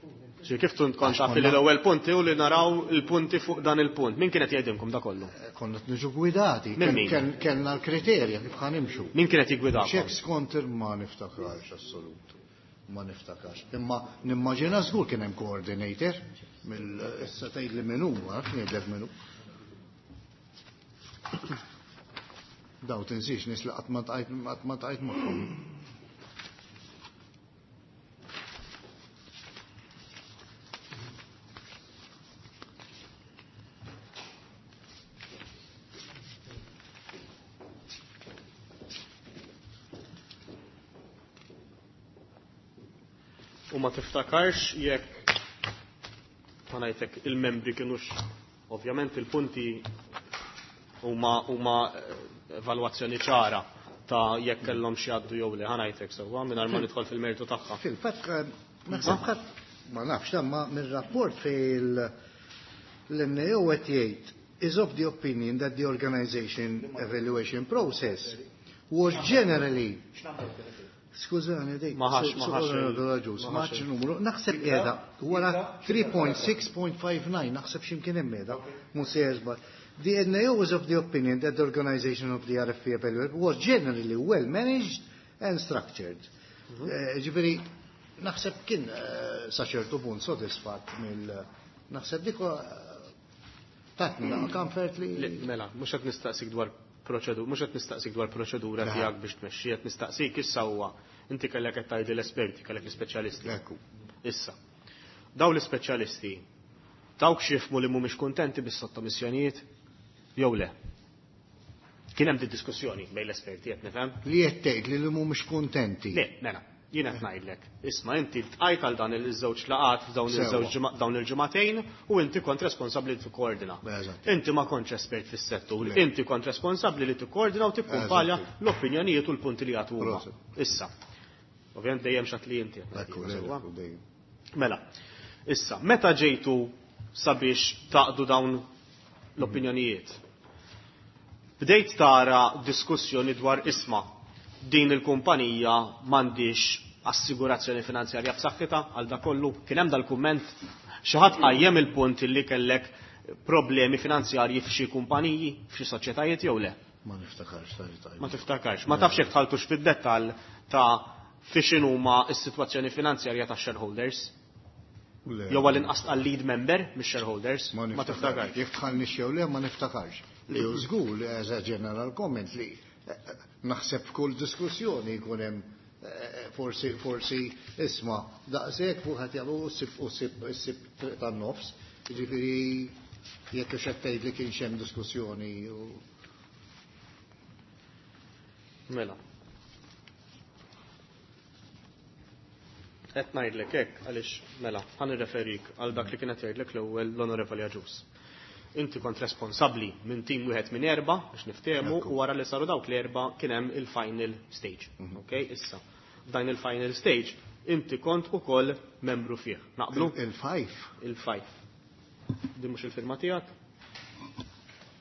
Ġi kif kont Għax taf li konna l-ewwel punti u li naraw il-punti fuq dan il-punt? Min kienet jgħidilkom da kollu? Eh, konna qed niġu gwidati. Min min? Ken-, kellna l-kriterja kif ħanimxu. Min kienet jiggwidakom? Xek skont ma niftakarx assolut. Ma niftakarx. Imma nimmaġina żgur kien hemm coordinator mill issa tgħid li min hu, ma nafx ngħidlek min hu. Daw tinsiex nies li qatt ma tqajt, qatt ma tqajt magħhom. U ma tiftakarx jekk ma ngħidlek il-membri kienux ovvjament il-punti huma huma evalwazzjoni ċara ta' jekk kellhom xi jgħaddu jew le, ħa ngħidlek sewwa mingħajr ma nidħol fil-mertu tagħha. Fil-fatt, naħseb ħadd ma nafx ma mir-rapport fil l-N A O qed jgħid is of the opinion that the organization evaluation process was generally Skużani, dik. Ma ħax, ma ħax il- Ma ħax numru. Naħseb qiegħda wara three point six point five nine, naħseb x'imkien hemm qiegħda, mhux se jeżbal. The N A O was of the opinion that the organization of the R F P evaluation was generally well managed and structured. Ġifieri, naħseb kien sa ċertu punt sodisfatt mill naħseb dik tatni comfort li. Mela, mhux qed nistaqsik dwar proċedura, mhux qed nistaqsik dwar proċedura tiegħek biex tmexxi, qed nistaqsik issa huwa inti kellek qed tgħidi l-esperti, kellek l-ispeċjalisti. Issa. Daw l-ispeċjalisti dawk xifmu li mhumiex kuntenti bis-sottomissjonijiet jew le? Kien hemm diskussjoni bejn l-esperti qed nifhem? Li qed tgħid li mhumiex kuntenti. Le, mela, jien qed ngħidlek. Isma' inti ltqajt għal dan iż-żewġ laqat f'dawn iż-żewġ dawn il-ġimagħtejn u inti kont responsabbli li tikkoordina. Inti ma kontx espert fis-settur, inti kont responsabbli li tikkoordina u tikkumpalja l-opinjonijiet u l-punti li jagħtu huma. Issa. Ovvjament dejjem x'għad li inti. Mela, issa, meta ġejtu sabiex taqdu dawn l-opinjonijiet? Bdejt tara diskussjoni dwar isma' din il-kumpanija m'għandix assigurazzjoni finanzjarja b'saħħitha għal da kollu. Kien hemm dal-kumment xi ħadd qajjem il-punt li kellek problemi finanzjarji f'xi kumpaniji, f'xi soċjetajiet jew le? Ma niftakarx, tajb. Ma tiftakarx. Ma tafx jekk tħaltux fid-dettall ta' fi x'inhuma s-sitwazzjoni finanzjarja tax-shareholders? Jew għal inqas għal lead member mix-shareholders? Ma tiftakarx. Jekk tħallniex jew le ma niftakarx. Li hu żgur li as a general comment li naħseb f'kull diskussjoni jkun hemm forsi forsi isma' daqshekk fuq ħadd jagħmlu u ssib u ssib issib triq tan-nofs. Jiġifieri jekk hux qed tgħid li kienx hemm diskussjoni u Mela. Qed ngħidlek hekk għaliex mela ħa nirreferik għal dak li kienet jgħidlek l-ewwel l-Onorevoli Agius. Inti kont responsabbli minn tim wieħed minn erba' biex niftehmu u wara li saru dawk l-erba' kien hemm il-final stage. Okay, issa. F'dan il-final stage inti kont ukoll membru fih. Naqblu? Il-five. Il-five. Din mhux il-firma tiegħek?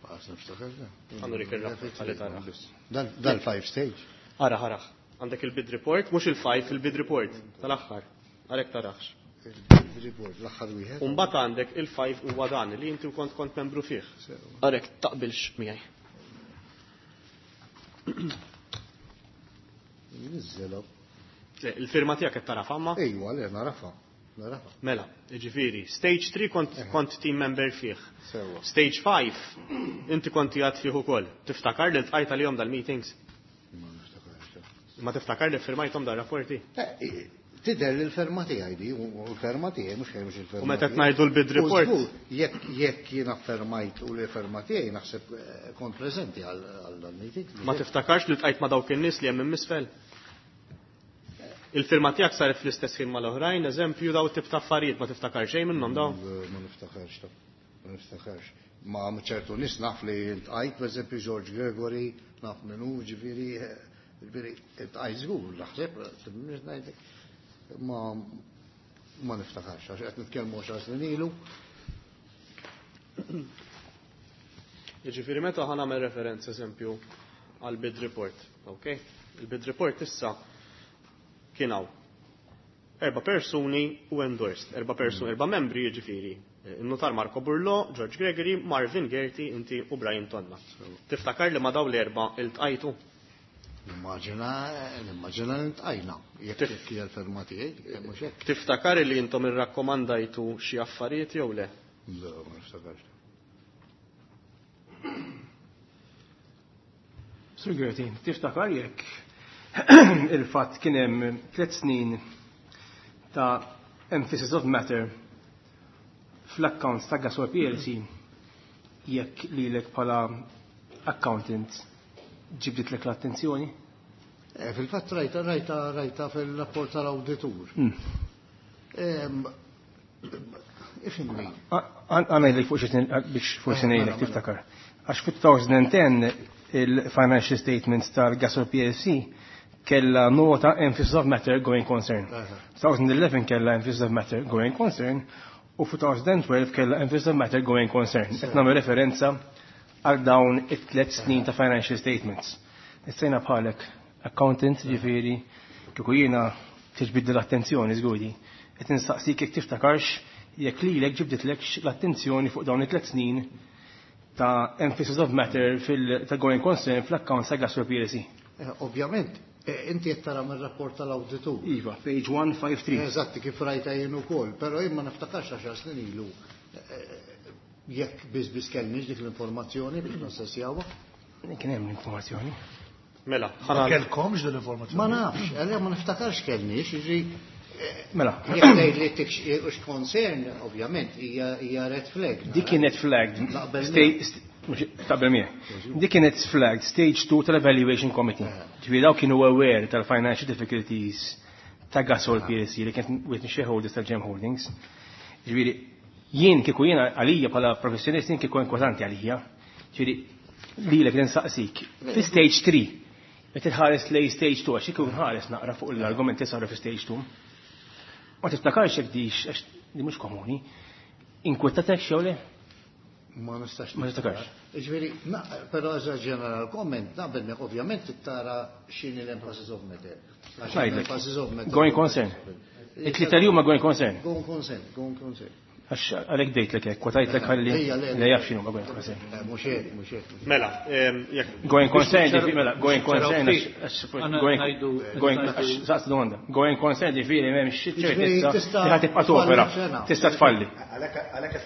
Ħa nurik ir-rapport ħalli taraħ. Dal-five stage. Ara, ara. Għandek il-bid report, mhux il-five, il-bid report tal-aħħar. Għalhekk tarax. Il-bid report l-aħħar wieħed. U mbagħad għandek il-five huwa dan li inti kont kont membru fih. Għalhekk taqbilx miegħi. Niżżelu. Il-firma tiegħek qed tarafa ma? Ejwa, le narafa. Narafa. Mela, jiġifieri, stage three kont kont team member fih. Sewa. Stage five inti kont qiegħed fih ukoll. Tiftakar li ltqajt għalihom dal-meetings? Ma niftakarx. Ma tiftakar li firmajthom dar-rapporti? Tidher li l-ferma tiegħi di, u l-ferma tiegħi mhux mhux il-ferma. U meta qed ngħidu l-bid report? Jekk jekk jiena fermajt u l-ferma tiegħi naħseb kont preżenti għal dal-meeting. Ma tiftakarx li ltqajt ma' dawk in-nies li hemm minn misfel? Il-firma tiegħek saret fl-istess ħin mal-oħrajn, eżempju daw tip ta' affarijiet ma tiftakar xejn minnhom daw? Ma niftakarx, ma niftakarx. Ma ċertu nies naf li ltqajt, pereżempju George Gregory, naf min hu, ġifieri, ġifieri ltqajt żgur, naħseb, ngħidlek. Ma ma niftakarx, għax qed nitkellmu għaxar snin ilu. Jiġifieri meta ħa nagħmel referenza eżempju għal bid report, ok? Il-bid report issa kien hawn erba' persuni u endorsed, erba' persuni, erba' membri jiġifieri. Il-notar Marco Burlo, George Gregory, Marvin Gerti, inti u Brian Tonna. Tiftakar li ma daw l-erba' iltqajtu? Nimmaġina, nimmaġina li ntqajna, jekk jekk hija l-ferma tiegħi, mhux hekk. Tiftakar li intom irrakkomandajtu xi affarijiet jew le? Le, ma niftakarx. Sur Gerti, tiftakar jekk il-fatt kien hemm tliet snin ta' emphasis of matter fl-accounts ta' Gasol P L C jekk lilek bħala accountant ġibditlek l-attenzjoni? Fil-fatt rajta, rajta, rajta fil-rapport tal-awditur. Ifhimni. Għanajdlek fuq xi biex forsi ngħidlek tiftakar. Għax fi twenty ten il-financial statements tal-Gasol P L C kella nota emphasis of matter going concern. twenty eleven kella emphasis of matter going concern u fi twenty twelve kella emphasis of matter going concern. Qed nagħmel referenza għal dawn it-tliet snin ta' financial statements. Issejna bħalek accountant, ġifieri, Kieku jiena tiġbidli l-attenzjoni żguri. Qed nistaqsik jekk tiftakarx jekk lilek ġibditlek l-attenzjoni fuq dawn it-tliet snin ta' emphasis of matter fil going concern fl-accounts ta' Gasol P L C. Eh, ovvjament, eh, inti qed tara mir-rapport tal-awditur. Iva, page one fifty-three. Eżatti, kif rajta jien ukoll, però jien ma niftakarx għaxar snin ilu eh, jekk biss biss kellniex dik l-informazzjoni biex nassessjawha. Kien hemm l-informazzjoni. Mela, Ma kellkomx din l-informazzjoni? Ma nafx, għalja ma niftakarx kellniex, jiġri Mela, jekk tgħid li tix concern, ovvjament, hija hija red flag. Dik kienet flagged. Naqbel. Sta- st- mhux- Taqbel miegħek. Dik kienet flagged stage two tal-evaluation committee. Ġifieri daw kienu aware tal-financial difficulties ta' Gasol P L C li kienet with shareholders tal-Gem Holdings. Ġifieri jien kieku jiena għalija bħala professjonist, jien kieku inkwetanti għalija. Ġifieri lilek li nsaqsik. Fi stage three, meta tħares lej stage two, għax kieku nħares naqra fuq l-argumenti saru fi stage two. Ma tiftakarx jekk dix, għax di mhux komuni, inkwetatek xew le? Ma nistax. Ma tiftakarx. Ġifieri, na- però as a general comment, naqbel miegħek, ovvjament tara x'inhi l-emphasis of matter. Għax Ngħidlek. l-emphasis of matter. Going concern. It-tlieta li huma going concern. Going concern, going concern. Għax għalhekk dejtlek hekk, kwotajtlek ħalli Ejja, le, le. li jaf x'inhu ma going concern. Eh, Mhux hekk, mhux hekk. Mela, em, jekk Going concern, ġifieri, mela, going concern, ftit. għax Għana going ngħidu- going għax saqs domanda. Going concern ġifieri m'hemmx Ġifieri ċertezza tista' li ħa tibqa' topera. tfalli f'sena. Tista' tfalli. Għalhekk għalhekk qed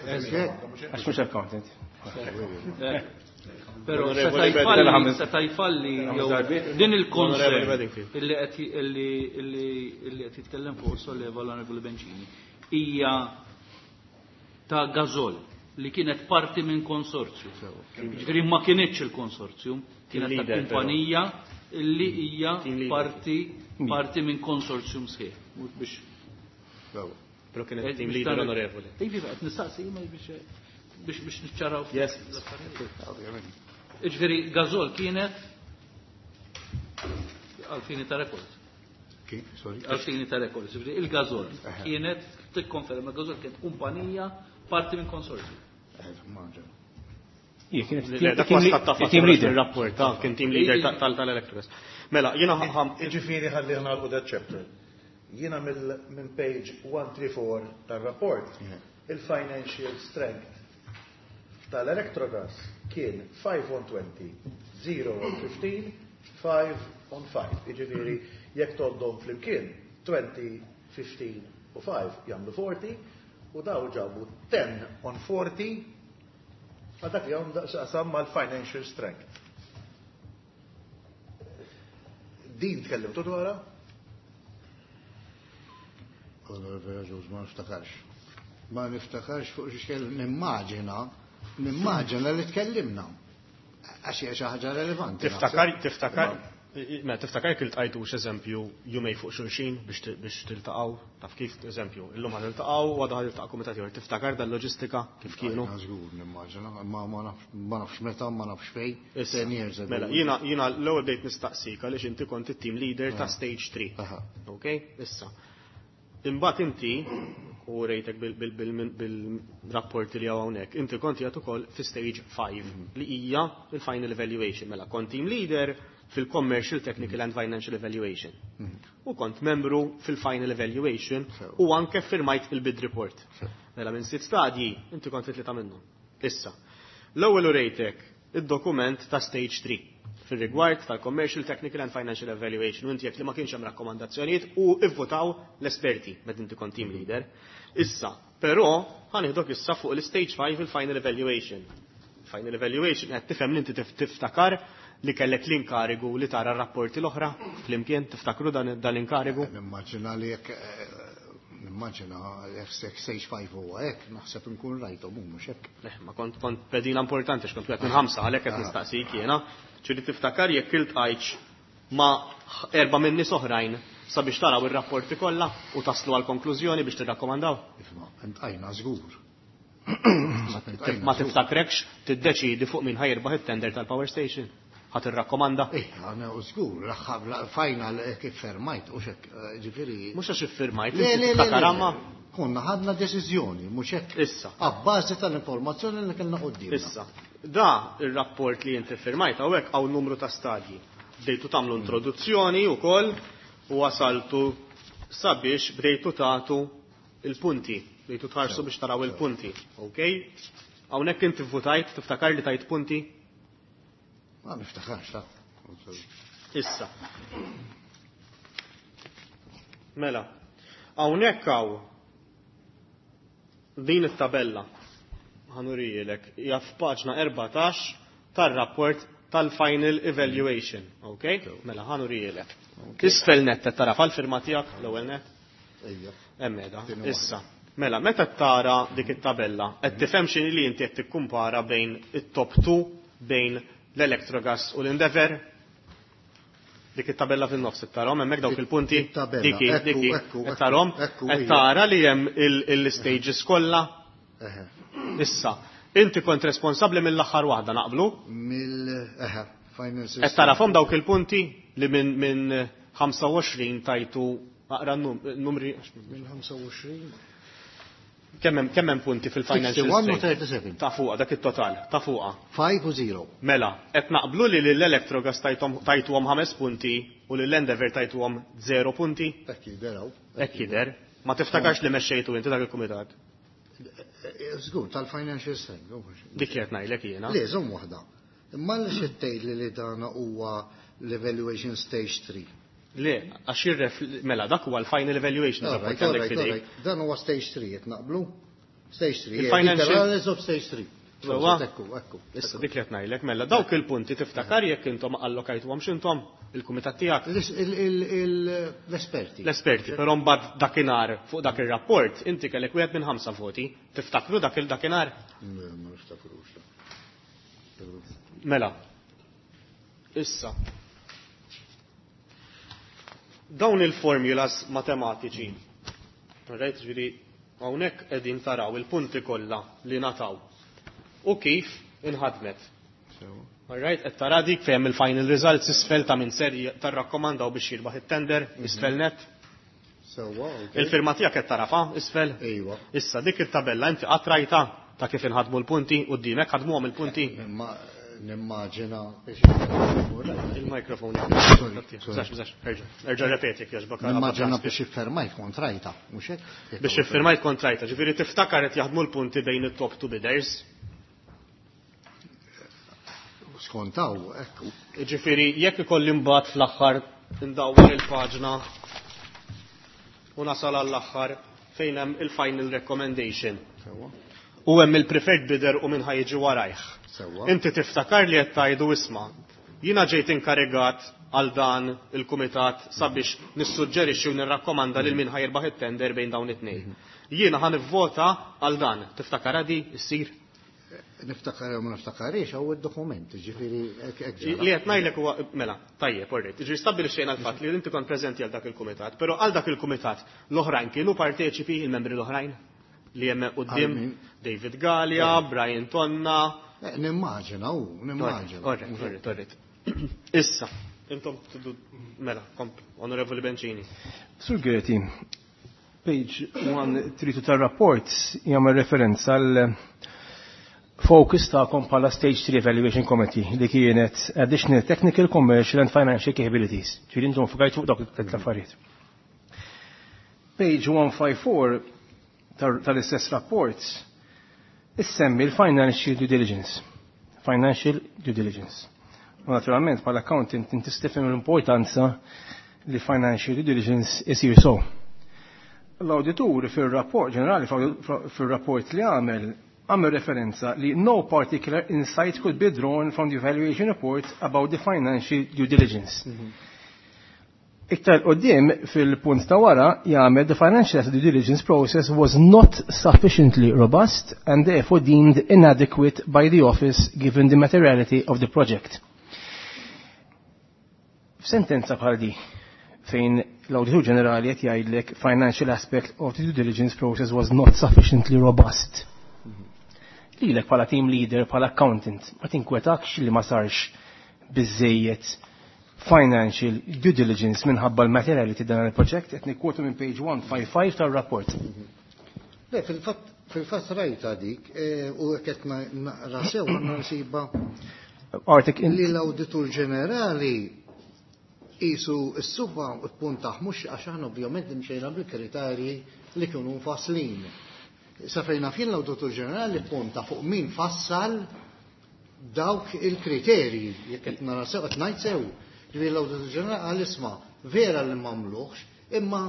Għax mhux accountant. Pero Onorevoli seta' Bedingfield. jfalli, seta' jfalli jew darbiet. din Onorevoli il-concern Bedingfield. illi qed illi illi illi qed jitkellem fuq solleva l-Onorevoli Bencini hija ta' Gazol li kienet parti minn konsorzju. Ġifieri ma kienitx il-konsorzju, kienet ta' leader, però. kumpanija illi hija Team leader. parti parti minn konsorzjum sħiħ. Mhux biex Però kienet team leader, onorevoli. Iva, qed nistaqsi ma biex biex biex niċċaraw. Yes. Ġifieri Gazol kienet għal-fini ta' rekord. Kif, sorry. Għal-fini ta' rekord. Ġifieri il-Gazol kienet, tikkonferma, Gazol kienet kumpanija parti minn konsorzju. Eh, maġa. Ija, kienet Le, dak team ma statta team leader. Il-rapport, ta' kien team leader ta- tal- tal-Electrogas. Mela, jiena ħam Ġifieri ħalli nagħlqu that chapter. Jiena mill- minn page one thirty-four tar-rapport, il-financial strength tal-Electrogas kien five on twenty, zero on fifteen, five on five. Jiġifieri jekk toddhom flimkien twenty, fifteen u five jagħmlu forty u daw ġabu ten on forty għal dak li għandu x'jaqsam mal-financial strength. Din tkellimtu dwarha? Onorevoli Ġuż, ma niftakarx. Ma niftakarx fuq x'kel nimmaġina, nimmaġina li tkellimna. Għax hija xi ħaġa relevanti. Tiftakar, tiftakar, ma tiftakar kil tqajtux eżempju jumej fuq xulxin biex ti- biex tiltaqgħu, taf kif, eżempju, illum ħad tiltaqgħu u għadha ħad tiltaqa' kumitat ieħor. Tiftakar dal-loġistika kif kienu? Żgur nimmaġina, ma ma nafx ma nafx meta, ma nafx fejn. Issa, Ten years ago. Mela, jiena jiena l-ewwel bdejt nistaqsik għaliex inti kont it-team leader ta' stage three. Aha. Ok? Issa. Imbagħad inti u rejtek bil-rapporti li hawnhekk, inti kont qiegħed ukoll fi stage five li hija il-final evaluation. Mela kont team leader fil-commercial, technical and financial evaluation. U kont membru fil-final evaluation u anke firmajt il-bid report. Mela minn sitt stadji, inti kont fit tlieta minnhom. Issa, l-ewwel u rejtek id-dokument ta' stage three fil-rigward tal-Commercial, Technical and Financial Evaluation u inti jekk li ma kienx hemm rakkomandazzjonijiet u ivvotaw l-esperti meta inti kont team leader. Issa, però ħa nieħdok issa fuq l-stage five, il-final evaluation. Final evaluation qed tifhem li inti tif- tiftakar li kellek l-inkarigu li tara r-rapporti l-oħra flimkien, tiftakru dan dan l-inkarigu? Nimmaġina li jekk eh, nimmaġina jekk stage five huwa hekk, naħseb nkun rajthom hu mhux hekk. Le, ma kont kont pedina importanti x'kont wieħed minn ħamsa, għalhekk qed nistaqsik jiena. Ġieli tiftakar jekk iltqajtx ma' erba' minn nies oħrajn sabiex taraw ir-rapporti kollha u taslu għal konklużjoni biex tirrakkomandaw? Ifma, iltqajna żgur. Ma tiftakrekx tiddeċidi fuq min ħa jirbaħ it-tender tal-power station? Ħa tirrakkomanda? Eh, għana u żgur, l-aħħar final kif firmajt, u xek, ġifieri. Mhux għax iffirmajt, Le, inti le, le, tiftakar le. amma? Konna ħadna deċiżjoni, mhux hekk. Issa. Abbażi tal-informazzjoni li kellna qudiemna. Issa, da il-rapport li inti firmajt hawnhekk hawn numru ta' stadji. Bdejtu tagħmlu introduzzjoni wkoll u wasaltu sabiex bdejtu tagħtu il-punti, bdejtu tħarsu biex taraw il-punti, ok? Hawnhekk inti votajt, tiftakar li tajt punti? Ma niftakarx, ta. Issa. Mela, hawnhekk hawn din it-tabella ħa nurijilek hija f'paġna erbatax tar-rapport tal-final evaluation, ok? Mela ħa nurijilek. Isfel net tara fal-firma tiegħek l-ewwel net? Ejja. Hemm qiegħda. Issa. Mela, meta tara dik it-tabella, qed tifhem x'inhi li inti qed tikkumpara bejn it-top two, bejn l-Electrogas u l-Endeavour? Dik it-tabella fin-nofs tarahom hemmhekk dawk il-punti? It-tabella. Diki, Ekku, diki, ekku, qed tarahom? ekku, Qed ija. tara li hemm il-stages kollha? Eħe. Issa, inti kont responsabbli mill-aħħar waħda, naqblu? Mill, eħe, final system. Qed tarahom dawk il-punti li minn min ħamsa u għoxrin tajtu, aqra n-numri. Minn ħamsa u għoxrin? Kemm hemm, kemm hemm punti fil-financial Sixty-one u statement? thirty-seven. Ta' fuqha, dak it-total, ta' fuqha. Five u zero. Mela, qed naqblu li lill-Electrogas tajthom tajtuhom ħames punti u lill-Endeavour tajtuhom zero punti? Hekk jidher hawn. Hekk jidher. Ma tiftakarx li mexxejtu inti dak il-kumitat? Żgur, tal-financial statement. Dik li qed ngħidlek jiena. Le, żomm waħda. Imma li xi tgħid li li dan huwa l-evaluation stage three. Le, għax jirref, mela, dak huwa l-final evaluation All right, rapport all għandek right, all fidejk. right. Dan huwa stage three, qed naqblu? Stage three, Il-financial- literally of stage three. Sewwa? Ekku, ekku. Issa dik li qed ngħidlek, mela dawk il-punti tiftakar jekk intom allokajtuhom x'intom il-kumitat tiegħek? Il-, il-, il-, l-esperti. L-esperti, però mbagħad dakinhar fuq dak ir-rapport inti kellek wieħed minn ħamsa voti. Tiftakru dak il-dakinhar? Le, ma niftakrux. Mela. Issa. Dawn il-formulas matematiċi. Rajt, ġifieri hawnhekk qegħdin taraw il-punti kollha li nataw. U kif inħadmet. Alright, qed tara dik fejn il-final results isfel ta' min ser tarrakkomandaw biex jirbaħ it-tender, isfel net. Sewwa, ok. Il-firma tiegħek qed tarafa isfel. Ejwa. Issa dik it-tabella inti qatt rajta ta' kif inħadmu l-punti quddiemek ħadmuhom il-punti. Imma nimmaġina biex Il-mikrofon. Sorry, sorry. Zax, zax, erġa', erġa' repeti jekk jogħġbok. Nimmaġina biex iffirmajt kont rajta, mhux hekk? Biex iffirmajt kont rajta, ġifieri tiftakar qed jaħdmu l-punti bejn it-top two bidders. Skontaw, ekku. Ġifieri jekk ikolli mbagħad fl-aħħar indawwar il-paġna u nasal għall-aħħar fejn hemm il-final recommendation. Sewwa. U hemm il-preferred bidder u min ħa jiġi warajh. Sewwa. Inti tiftakar li qed tgħidu isma'. Jiena ġejt inkarigat għal dan il-kumitat sabiex nissuġġerixxi u nirrakkomanda lil min ħa jirbaħ it-tender bejn dawn it-tnejn. Jiena ħa nivvota għal dan. Tiftakar di issir? Niftakar jew ma niftakarix hawn id-dokument, ġifieri hekk hekk ġara. Li qed ngħidlek huwa mela, tajjeb, orrejt. Ġifieri stabbilixxejna l-fatt li inti kont preżenti għal dak il-kumitat, però għal dak il-kumitat l-oħrajn kienu parteċipi il-membri l-oħrajn li hemm quddiem Għal min? David Galea, Brian Tonna. Eh, Nimmaġina, u, nimmaġina. Orrejt, orrejt, orrejt. Issa, intom tidu mela, komp, Onorevoli Bencini. Sur Gerti, page one three two tar-rapport jagħmel referenza għal focus tagħkom bħala Stage three Evaluation Committee li kienet additional technical, commercial and financial capabilities. Ġifieri intom fukajtu fuq dawk l-affarijiet. Page one five four tal-istess rapport issemmi l-financial due diligence. Financial due diligence. U naturalment bħala accountant inti tifhem l-importanza li financial due diligence isir so. L-auditur fil-rapport ġenerali, fil-rapport li għamel, għamel referenza li no particular insight could be drawn from the evaluation report about the financial due diligence. Iktar qoddim fil-punt ta' wara jagħmel the financial due diligence process was not sufficiently robust and therefore deemed inadequate by the office given the materiality of the project. F'sentenza bħal di fejn l-Awditur Ġenerali qed jgħidlek financial aspect of the due diligence process was not sufficiently robust. Lilek bħala team leader, bħala accountant, ma tinkwetakx li ma sarx biżejjed financial due diligence minħabba l-materiality dan il-proġett, qed nikkwotu minn page one five five tar-rapport. Le, fil-fatt fil-fatt rajta dik, eh, u qed naqra sew nsiba Artik li l-Awditur Ġenerali Isu s-suba puntaħ mhux għax aħna ovvjament imxejna bil-kriterji li kienu mfasslin. Sa fejn naf jien l-Awditur Ġenerali punta fuq min fassal dawk il-kriterji, jekk qed nara sew qed ngħid sew. Ġifieri l-Awditur Ġenerali qal isma' vera li m'għamluhx, imma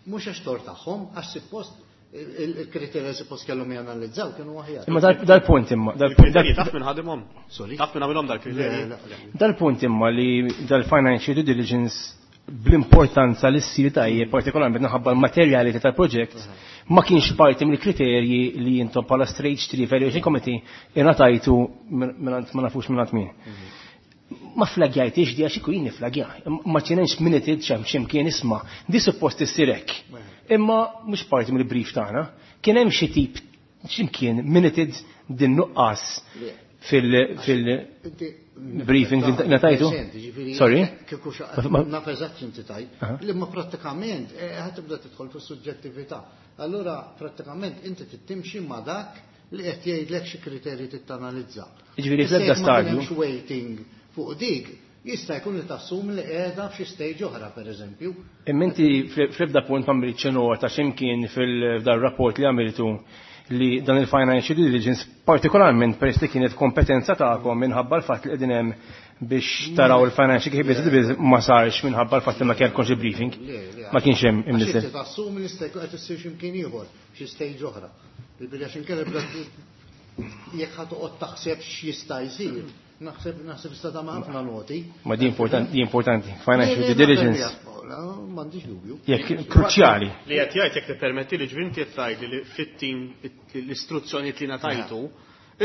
mhux għax tort tagħhom, għax suppost il-kriterji suppost kellhom janalizzaw kienu aħjar. Imma dal-punt imma. Dal-kriterji taf minn ħadimhom. Sorry. Taf minn għamilhom dal-kriterji. Dal-punt imma li dal-financial due diligence bl-importanza li ssir tajjeb, partikolarment minħabba l-materjalità tal-proġett, ma kienx parti mill-kriterji li intom bħala Stage three Evaluation Committee ingħatajtu mingħand ma nafux mingħand min. Ma flagjajtix di għax ikun niflagja, ma kienx minuted xem x'imkien isma' di suppost issir hekk. Imma mhux parti mill-brief tagħna, kien hemm xi tip x'imkien minuted din nuqqas fil-briefing li ngħatajtu. Sorry? Naf eżatt x'inti tajt, li ma prattikament ħa tibda tidħol fis-suġġettività. Allura prattikament inti tittimxi ma' dak li qed jgħidlek xi kriterji tittanalizza. Jiġifieri fl-ebda stadju. Waiting fuq dik, jista' jkun li tassum li qiegħda f'xi stage oħra pereżempju. Imma inti fl-ebda punt ma għamiltx nota x'imkien fil-dar rapport li għamiltu li dan il-financial due diligence partikolarment peress li kienet kompetenza tagħkom minħabba l-fatt li qegħdin hemm biex taraw il-financial capability ma sarx minħabba l-fatt li ma kellkomx il-briefing. Ma kienx hemm imniżel. Għax tassum li jista' jkun qed issir x'imkien ieħor, xi stage oħra. Bil għax inkella jekk ħa toqgħod taħseb x'jista' jsir. Naħseb naħseb sta ta' ħafna noti. Ma di importanti, di importanti. Financial due diligence. M'għandix dubju. Jekk kruċjali. Li qed jgħid jekk tippermetti li ġvinti qed tgħidli li fit-tim l-istruzzjonijiet li ngħatajtu,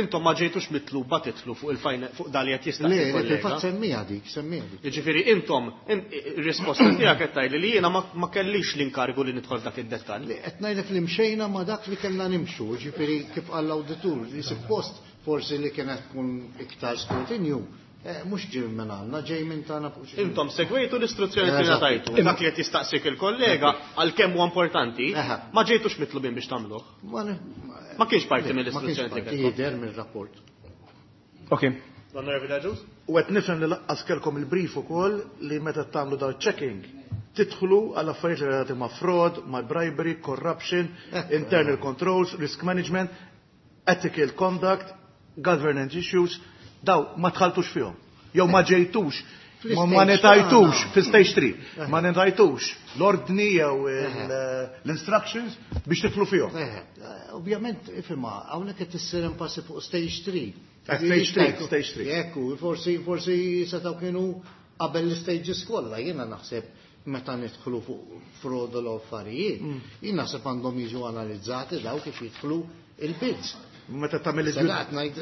intom ma ġejtux mitluba titlu fuq il-fajn fuq dal li qed jistaqsi. Le, le, fil-fatt semmija dik, semmija dik. Jiġifieri intom ir-risposta tiegħek qed tgħidli li jiena ma kellix l-inkargu li nidħol f'dak id-dettall. Li qed ngħidlek li mxejna ma dak li kellna nimxu, ġifieri kif qal l-awditur, li suppost forsi li kienet tkun iktar skrutinju, mhux ġej minn għandna, ġej minn tagħna fuq xi. Intom segwejtu l-istruzzjoni li ngħatajtu. Dak li qed jistaqsik il-kollega għalkemm huwa importanti, ma ġejtux mitlubin biex tagħmluh. Ma kienx parti mill-istruzzjoni li kellkom. Jidher mill-rapport. Ok. L-Onorevoli Agius? U qed nifhem li laqqas kellkom il-brief ukoll li meta tagħmlu dawn checking tidħlu għal affarijiet relatati ma' fraud, ma' bribery, corruption, internal controls, risk management, ethical conduct, governance issues, daw ma tħaltux fihom. Jew ma ġejtux, ma netajtux fi stage three, ma netajtux l-ordni jew l-instructions biex tidħlu fihom. Ovvjament, ifhimha, hawnhekk qed issir enfasi fuq stage three. Stage three, stage three. Ekku, forsi forsi setgħu kienu qabel l-stages kollha, jiena naħseb meta nidħlu fuq fraud u l-affarijiet, jien naħseb għandhom jiġu analizzati daw kif jidħlu il-bids. Meta tagħmel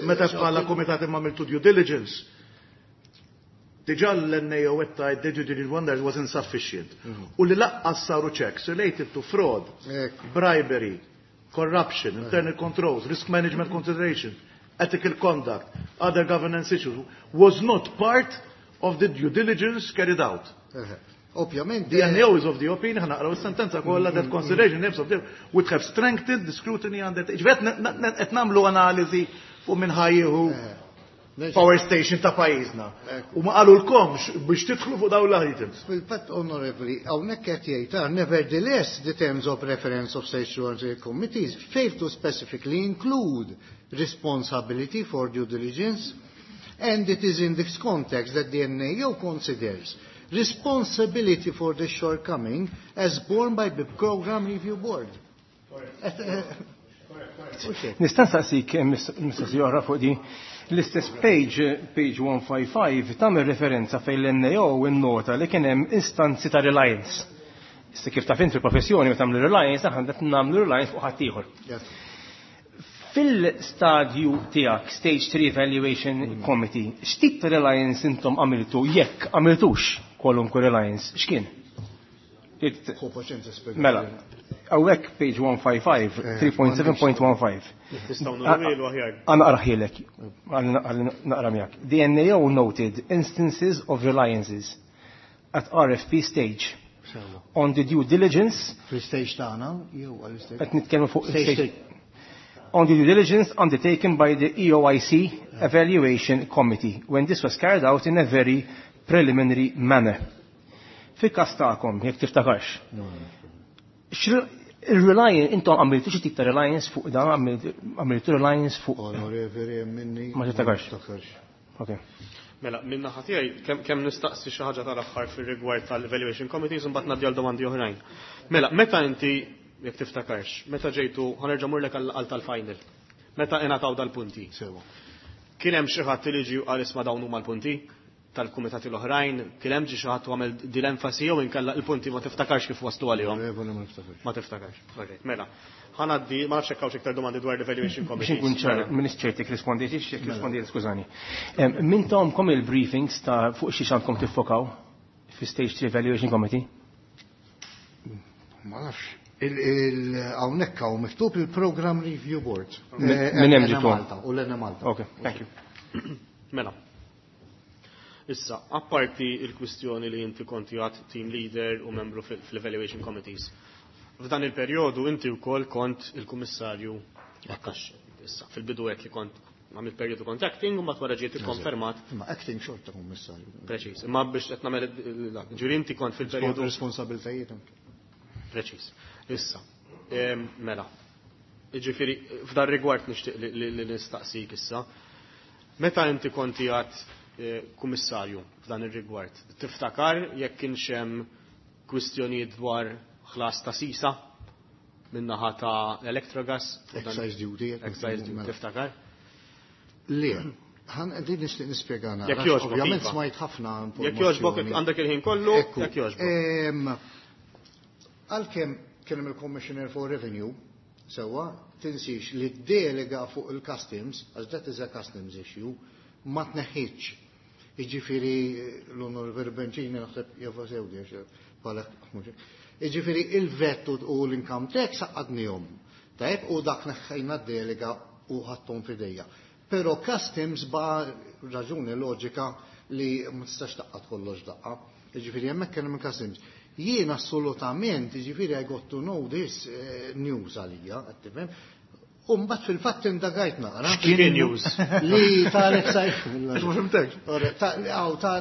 meta bħala kumitat imma għamiltu due diligence, diġà l-N A O qed tgħid the due diligence wonders was insufficient. U li laqqas saru checks related to fraud, bribery, corruption, internal controls, risk management consideration, ethical conduct, other governance issues, was not part of the due diligence carried out. Ovvjament. The N A O is of the opinion, ħa naqraw is-sentenza kollha, that consideration names of the would have strengthened the scrutiny under. Ġifieri qed nagħmlu analiżi fuq minn ħa jieħu power station ta' pajjiżna. U ma qalulkomx biex tidħlu fuq dawn l-items. Fil-fatt, onorevoli, hawnhekk qed jgħid, nevertheless, the terms of reference of stage two committees fail to specifically include responsibility for due diligence, and it is in this context that the N A O considers responsibility for the shortcoming as borne by the Program Review Board. Nista' nsaqsik mistoqsija oħra fuq di. L-istess page, page one five five, tagħmel referenza fejn l-N A O innota li kien hemm istanzi ta' reliance. Issa kif taf inti professjoni meta tagħmlu reliance, aħna qed nagħmlu reliance fuq ħaddieħor. Fil-stadju tiegħek, Stage three Evaluation Committee, x'tip ta' reliance intom għamiltu, jekk għamiltux kwalunkwe reliance, x'kien? Mela, hawnhekk page one five five, three point seven point one five. Nistgħu nurilu aħjar. Għana naqrahielek, naqra miegħek. The N A O noted instances of reliances at R F P stage on the due diligence. Fil-stage tagħna jew għall-stage. Qed nitkellmu fuq Stage stage. On the due diligence undertaken by the E O I C Evaluation Committee when this was carried out in a very preliminary manner. Fil-każ tagħkom, jekk tiftakarx. Il-reliance, intom għamiltu xi tip ta' reliance fuq dan, għamiltu reliance fuq. Onorevoli, minni. Ma tiftakarx. Ok. Mela, minn naħa tiegħi kemm kemm nistaqsi xi ħaġa tal-aħħar fir-rigward tal-evaluation committees u mbagħad ngħaddi għal domandi oħrajn. Mela, meta inti jekk tiftakarx, meta ġejtu ħa nerġa' murlek għal tal-final. Meta ingħataw dal-punti. Sewa. Kien hemm xi ħadd li ġie qal isma' dawn huma l-punti tal-kumitati l-oħrajn, kien hemm ġi xi ħadd għamel din l-enfasi jew inkella il-punti ma tiftakarx kif waslu għalihom. Onorevoli, ma niftakarx. Ma tiftakarx. Alright, mela. Ħa ngħaddi, ma nafx hekk hawnx iktar domandi dwar l-evaluation Biex committees. nkun ċar, m'iniex ċert jekk rispondejt, jekk rispondejt, skużani. Em, Min tahomkom il-briefings ta' fuq xi għandkom tiffokaw fi Stage three Evaluation Committee? Ma nafx. Hawnhekk hawn miktub il-Program Review Board. Min Eh, min hemm N ġitu? Malta u l-Enemalta. Ok, thank you. Mela. Issa, apparti il-kwistjoni li inti konti għad team leader u membru fil- fil-evaluation committees. F'dan il-perjodu inti wkoll kont il-kummissarju għat-taxxi. Issa, fil-bidu għedt li kont għamilt perjodu kont acting u mbagħad wara ġiet ikkonfermat Ma acting xorta kummissarju. Preċiż. Imma biex qed nagħmel il- ġifieri inti kont fil-perjodu Responsabiltajiet anke. Preċiż. Issa, em, mela. Ġifieri f'dan rigward nixtieq li- li li nistaqsik issa. Meta inti konti għad eh, kummissarju f'dan ir-rigward, tiftakar jekk kienx hemm kwistjonijiet dwar ħlas ta' sisa min-naħa ta' Electrogas? Excise duty. Excise duty, Mela. tiftakar? Le, ħan din nixtieq nispjega naqra. Jekk jogħġbok, Ovvjament iva. smajt ħafna Jekk jogħġbok informazzjoni. għandek il-ħin kollu, Ekku. jekk jogħġbok. Em, Għalkemm kien hemm il-Commissioner for Revenue, sewwa, tinsix li delega fuq il-customs, għax that is a customs issue, ma tneħħitx. Jiġifieri l-Onorevoli Bencini naħseb jafa sewdi għax bħala Jiġifieri il-VAT u l-income tax għaqqadnihom. Tajb, u dak neħħejna delega u ħadthom f'idejja. Però customs ba raġuni loġika li ma tistax tgħaqqad kollox daqqa. Jiġifieri hemmhekk kien hemm customs. Jien assolutament, jiġifieri I got to know this eh, news għalija, qed tifhem. U mbagħad fil-fatt indagajt naqra. X'kien news? Li tal-excise. Ma fhimtekx.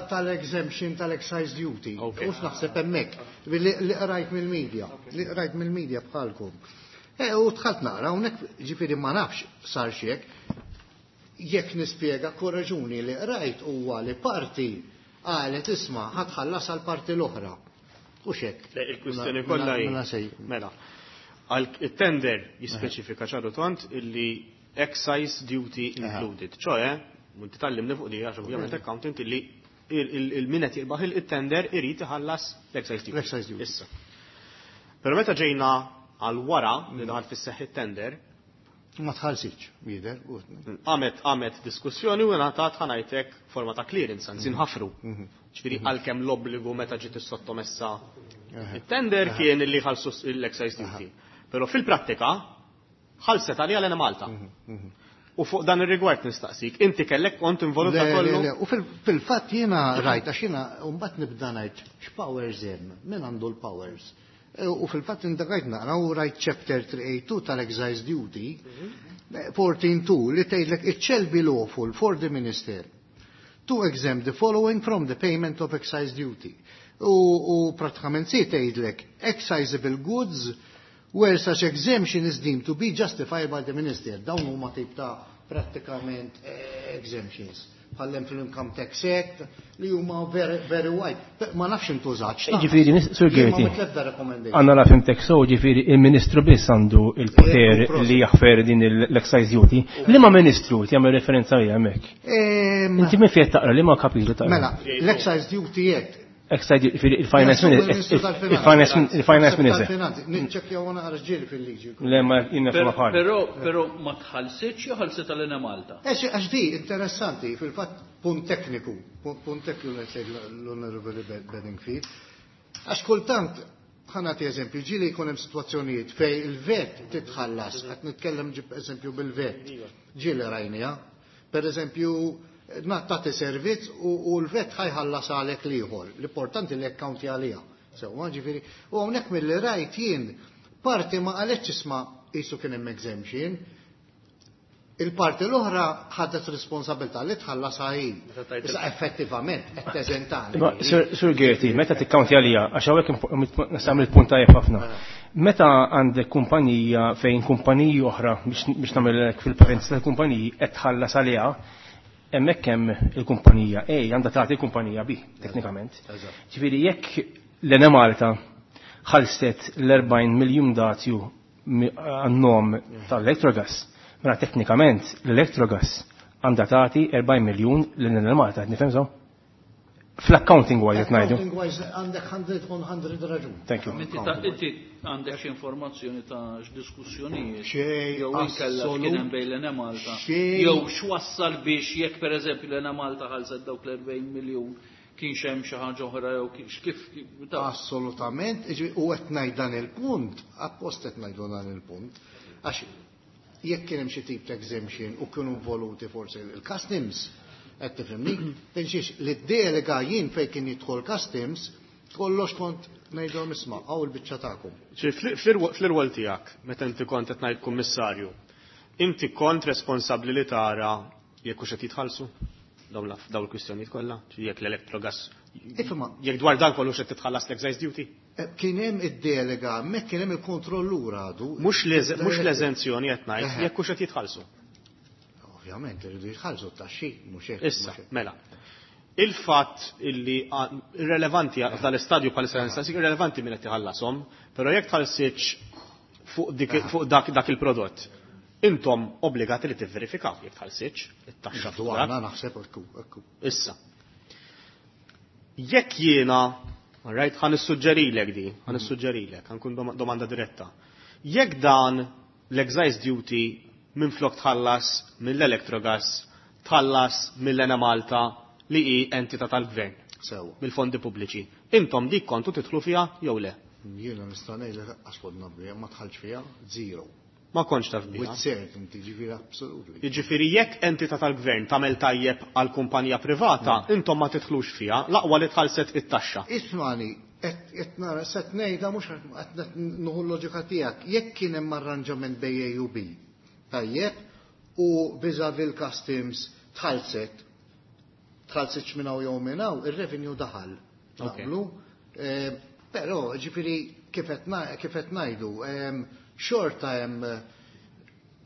Tal-exemption tal-excise duty. Ok. U naħseb hemmhekk. Li li qrajt mill-media. Li qrajt mill-media bħalkom. E, u dħalt naqra, hawnhekk ġifieri ma nafx sar x'hekk. Jekk nispjega korraġuni li qrajt huwa li parti qalet isma' ħa tħallas għal parti l-oħra. U xek. Le, il-kwistjoni kollha hi. Mela sej. Mela. Għal it-tender jispeċifika ċaru tont illi excise duty included. ċoè, inti tgħallimni fuq di għax ovvjament accountant illi il-min qed jirbaħ il-tender irid iħallas l-excise duty. L-excise duty. Issa. Però meta ġejna għal wara li daħal fis-seħħ it-tender, Ma tħallsitx, jidher. u- għamet għamet diskussjoni u ngħatat ħa ngħidlek forma ta' clearance, anzi nħafru. Ġifieri għalkemm l-obbligu meta ġiet is-sottomessa it-tender kien illi ħallsu l-excise duty. Però fil-prattika ħallset għalija l-Enemalta. U fuq dan ir-rigward nistaqsik, inti kellek kont involut Le, le, kollu? le, U fil- fil-fatt jiena rajt, għax jiena mbagħad nibda ngħid x'powers hemm, min għandu l-powers. E, U fil-fatt indagajt naqra u rajt chapter three eighty-two tal-Excise Duty, fourteen two li tgħidlek it shall be lawful for the minister to exempt the following from the payment of excise duty. U, u pratikament si tgħidlek excisable goods where such exemption is deemed to be justified by the minister. Dawn huma tip ta' pratikament eh, exemptions. Bħallem fil-Income Tax Act li huma very, very wide. Pe- Ma nafx intużax. ta' Ġifieri, nis- Sur Jien ma Gerti, mitlebda recommendation. Għanna la fhimtek so, ġifieri, il-ministru biss għandu il-poter Ekku, prosit. li jaħfer din l-excise duty. Liema ministru jagħmel referenza għalija hemmhekk? Em, Inti minn fejn taqra, liema kapitlu taqra? Mela, l-Excise Duty Act. Excise duty, ġifieri, il-finance minister, il-finance il-finance minister. Niċċekkjaw naqra ġieli fil-liġi. Le ma jiena Però fma bħal. però però ma tħallsitx jew ħallset għal Malta? Eċ, għax di, interessanti, fil-fatt, punt tekniku, punt punt tekniku li tgħid l-Onorevoli Bedingfield. Għax kultant, ħa nagħti eżempju, ġieli jkun hemm situazzjonijiet fej il-VAT titħallas, qed nitkellem ġib eżempju bil-VAT, ġieli rajnija, per eżempju, tagħti servizz u, u l-VAT ħa jħallas għalek l-ieħor, l-importanti li accounti għalija. Sewwa, ġifieri, u hawnhekk mill-li rajt jien, parti ma qalitx isma' qisu kien hemm exemption, Il-parti l-oħra ħadet responsabilità li tħallas hi. Issa effettivament qed teżentani. Sur Gerti, meta tikkawntja għalija, għax hawnhekk nagħmel punt tajjeb ħafna. Meta għandek kumpanija fejn kumpaniji oħra biex nagħmel fil-parentesi tal-kumpaniji qed tħallas għaliha, hemmhekk hemm il-kumpanija A għandha tagħti l-kumpanija B teknikament. Ġifieri jekk l-Enemalta ħallset l-erbgħin miljun dazju għan-nom tal-Electrogas, mela teknikament l-Electrogas għandha tagħti erbgħin miljun lil Malta, nifhem so? Fl-accounting wise qed ngħidu. Accounting wise għandek mija raġun. Thank you. Inti għandek xi informazzjoni ta' x'diskussjonijiet jew inkella x'kien hemm bejn l-Enemalta jew x'wassal biex jekk pereżempju l-Enemalta ħallset dawk l-erbgħin miljun kienx hemm xi ħaġa oħra jew kif. Assolutament, u qed ngħid dan il-punt, appost qed ngħidu dan il-punt, għax jekk kien hemm xi tip ta' exemption u kienu involuti forsi il-customs, qed tifhimni, tinxiex li d-delega jien fejn kien jidħol customs, kollox kont ngħidhom isma' hawn il-biċċa tagħkom. Fl-irwol tiegħek, meta inti kont qed ngħid kummissarju, inti kont responsabbli li tara jekk hux qed jitħallsu dawn il-kwistjonijiet kollha, jekk l-Electrogas, jekk dwar dan kollu x'qed titħallas l-excise duty? Kien hemm id-delega, hemmhekk kien hemm il-kontrollur għadu. Mhux l-eżenzjoni qed ngħid, jekk hux qed jitħallsu. Ovvjament iridu jitħallsu t-taxxi, mhux hekk. Issa, mela. Il-fatt illi irrelevanti f'dal-istadju bħalissa nistaqsik irrelevanti min qed iħallashom, però jekk tħallsitx fuq dak il-prodott, intom obbligati li tivverifikaw jekk tħallsitx it-taxxa fuq dak. Naħseb ekku, ekku. Issa. Jekk jiena, all right, ħa nissuġġerilek di, ħa nissuġġerilek, ħa nkun domanda diretta. Jekk dan l-excise duty minflok tħallas mill-Electrogas, tħallas mill-Enemalta li hi entità tal-gvern. Sewa. Mill-fondi pubbliċi. Intom dik kontu tidħlu fiha jew le? Jiena nista' ngħidlek għax kont naf biha, ma dħaltx fiha, zero. Ma kontx taf biha. With certainty, ġifieri absolutely. Jiġifieri jekk entità tal-gvern tagħmel tajjeb għal kumpanija privata, intom ma tidħlux fiha, l-aqwa li tħallset it-taxxa. Ismani, qed nara set ngħidha mhux qed nieħu l-loġika tiegħek, jekk kien hemm arranġament bejn A u B, tajjeb, u vis-a-vis l-customs tħallset, tħallset minn hawn jew minn hawn, ir-revenue daħal. Naqblu. Però ġifieri kif qed ngħidu, xorta hemm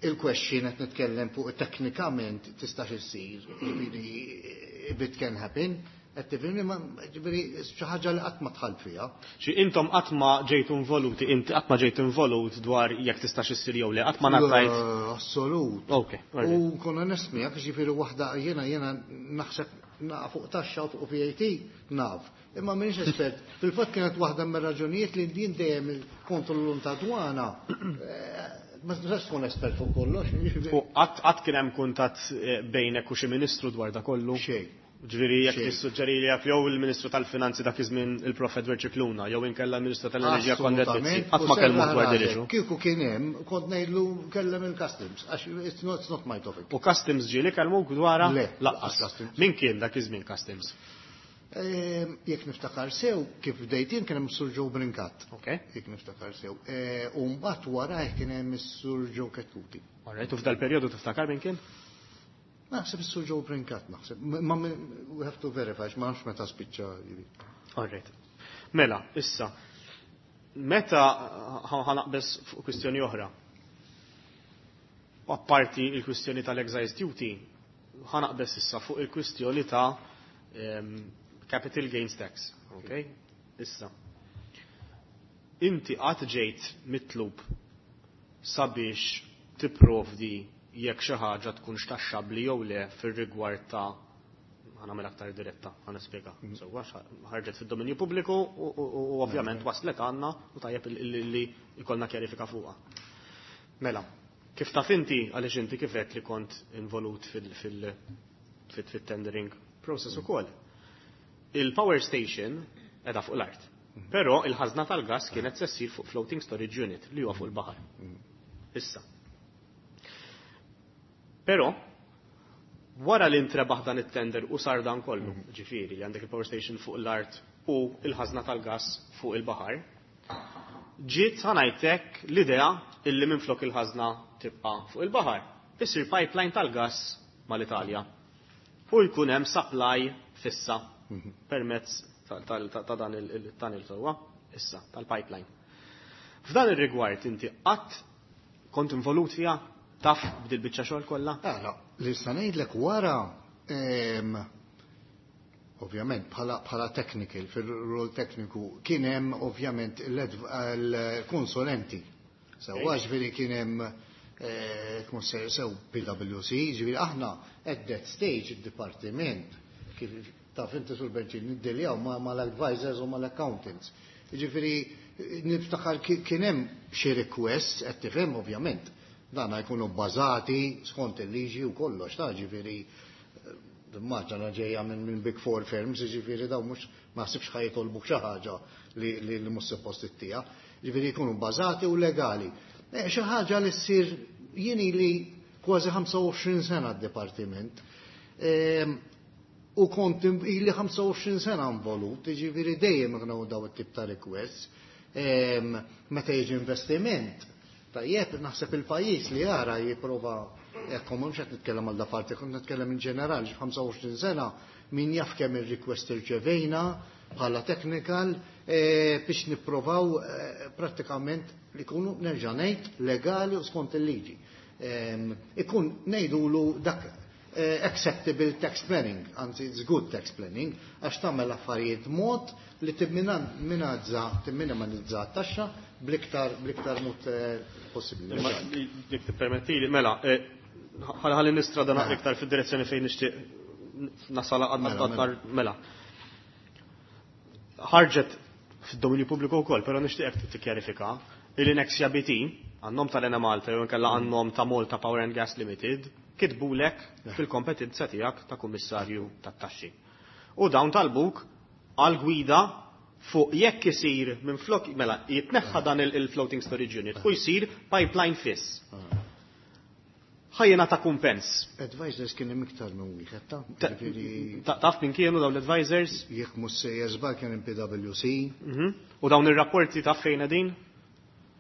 il-question qed nitkellem fuq teknikament tistax issir, ġifieri if it can happen, qed tifhimni, ma ġifieri xi ħaġa li qatt ma dħalt fiha. Xi intom qatt ma ġejtu involuti, inti qatt ma ġejt involut dwar jekk tistax issir jew le, qatt ma ngħatajt. Assolut. Ok, U nkun onest miegħek, ġifieri waħda jiena jiena naħseb fuq taxxa u fuq V A T naf. Imma m'iniex espert. Fil-fatt kienet waħda mir-raġunijiet li din dejjem il-kontrollur ta' dwana, ma tistax tkun espert fuq kollox. U qatt kien hemm kuntatt bejnek u xi ministru dwar da kollu? Xejn. Ġifieri jekk tissuġġeri li jekk jew il-Ministru tal-Finanzi dak iż-żmien il-Prof Edward Scicluna jew inkella l-Ministru tal-Enerġija Konrad Mizzi, qatt ma kellmu dwar din issue. Kieku kien hemm, kont ngħidlu kellem il-Customs, għax it's not, it's not my topic. U Customs ġieli kellmu dwarha? Le, Laqqas. Customs. Min kien dak iż-żmien Customs? Ehm, jekk niftakar sew, kif bdejt jien kien hemm Sur Joe Brincat. Ok. Jekk niftakar sew. Eh, u mbagħad warajh kien hemm is-Sur Joe Chetcuti. All right, u f'dal perjodu tiftakar min kien? Naħseb is-Sur Joe Brincat, naħseb. Ma we have to verify, ma nafx meta spiċċa. All right. Mela, issa, meta ħanaqbeż fuq kwistjoni oħra. Apparti il-kwistjoni tal-excise duty, ħanaqbeż issa fuq il-kwistjoni ta' em, capital gains tax. Ok? Issa. Inti qatt ġejt mitlub sabiex tipprovdi jekk xi ħaġa tkunx taxxabbli jew le fir-rigward ta' ħanagħmel aktar diretta, ħa nispjega. Sewwa, ħarġet fid-dominju pubbliku u, u, u ovvjament waslet għandna u tajjeb li jkollna kjarifika fuqha. Mela, kif taf inti għaliex inti kif għedt li kont involut fil-, fil-, fil-, fit-tendering process ukoll. Il-power station qiegħda fuq l-art. Però il-ħażna tal-gas kienet se ssir fuq floating storage unit li huwa fuq il-baħar. Issa. Però wara li intrebaħ dan it-tender u sar dan kollu, ġifieri li għandek il-power station fuq l-art u il-ħażna tal-gas fuq il-baħar, ġiet ħanajtek l-idea illi minflok il-ħażna tibqa' fuq il-baħar. isir pipeline tal-gas mal-Italja. U jkun hemm supply fissa permezz ta' dan il-tunnel sewwa, issa, tal-pipeline. F'dan ir-rigward inti qatt kont involut fiha taf b'dil biċċa xogħol kollha? Ara, li sta ngħidlek wara ovvjament bħala technical, fil-rol tekniku, kien hemm ovvjament l-konsulenti. Sewwa ġifieri kien hemm sew P W C, ġifieri aħna at that stage id-dipartiment kif taf inti sul Benċin niddiljaw mal-advisors u mal-accountants. Ġifieri niftakar kien hemm xi requests qed tifhem ovvjament. Dan jkunu bbażati skont il-liġi u kollox ta' ġifieri maġna ġejja minn Big Four firms, ġifieri daw mhux ma ħsibx ħa jitolbu xi ħaġa li mhux suppost ittija. Ġifieri jkunu bbażati u legali. Xi ħaġa li ssir jien ili kważi ħamsa u għoxrin sena d-dipartiment. U kont ili ħamsa u għoxrin sena involut, ġifieri dejjem kienu daw it-tip ta' requests. Meta jiġi investiment, tajjeb naħseb il-pajjiż li jara jipprova ekku mhux qed nitkellem għal da parti, kont nitkellem in ġenerali, xi ħamsa u għoxrin sena min jaf kemm ir-request irċevejna bħala technical biex nipprovaw prattikament li jkunu nerġa' ngħid legali u skont il-liġi. Ikun ngħidulu dak acceptable tax planning, anzi it's good tax planning, għax tagħmel affarijiet mod li timminimizza timminimizza t-taxxa bl-iktar bl-iktar mod possibbli. Jekk tippermettili, mela, ħalli nistrada naqra iktar fid-direzzjoni fejn nixtieq nasal aktar mela. Ħarġet fid-dominju pubbliku wkoll, però nixtieqek tikkjarifika li Nexia B T għan-nom tal-Enemalta jew inkella għan-nom ta' Malta Power and Gas Limited kitbulek fil-kompetenza tiegħek ta' kummissarju tat-taxxi. U dawn talbuk għal gwida fuq jekk isir minn flok mela jitneħħa dan il-floating storage unit u jsir pipeline fiss. Ħajjena ta' kumpens. Advisors kien hemm iktar minn wieħed ta' ġifieri Taf min kienu dawn l-advisors? Jekk mhux sejjer żball kien hemm P W C. U dawn ir-rapporti taf fejn qegħdin?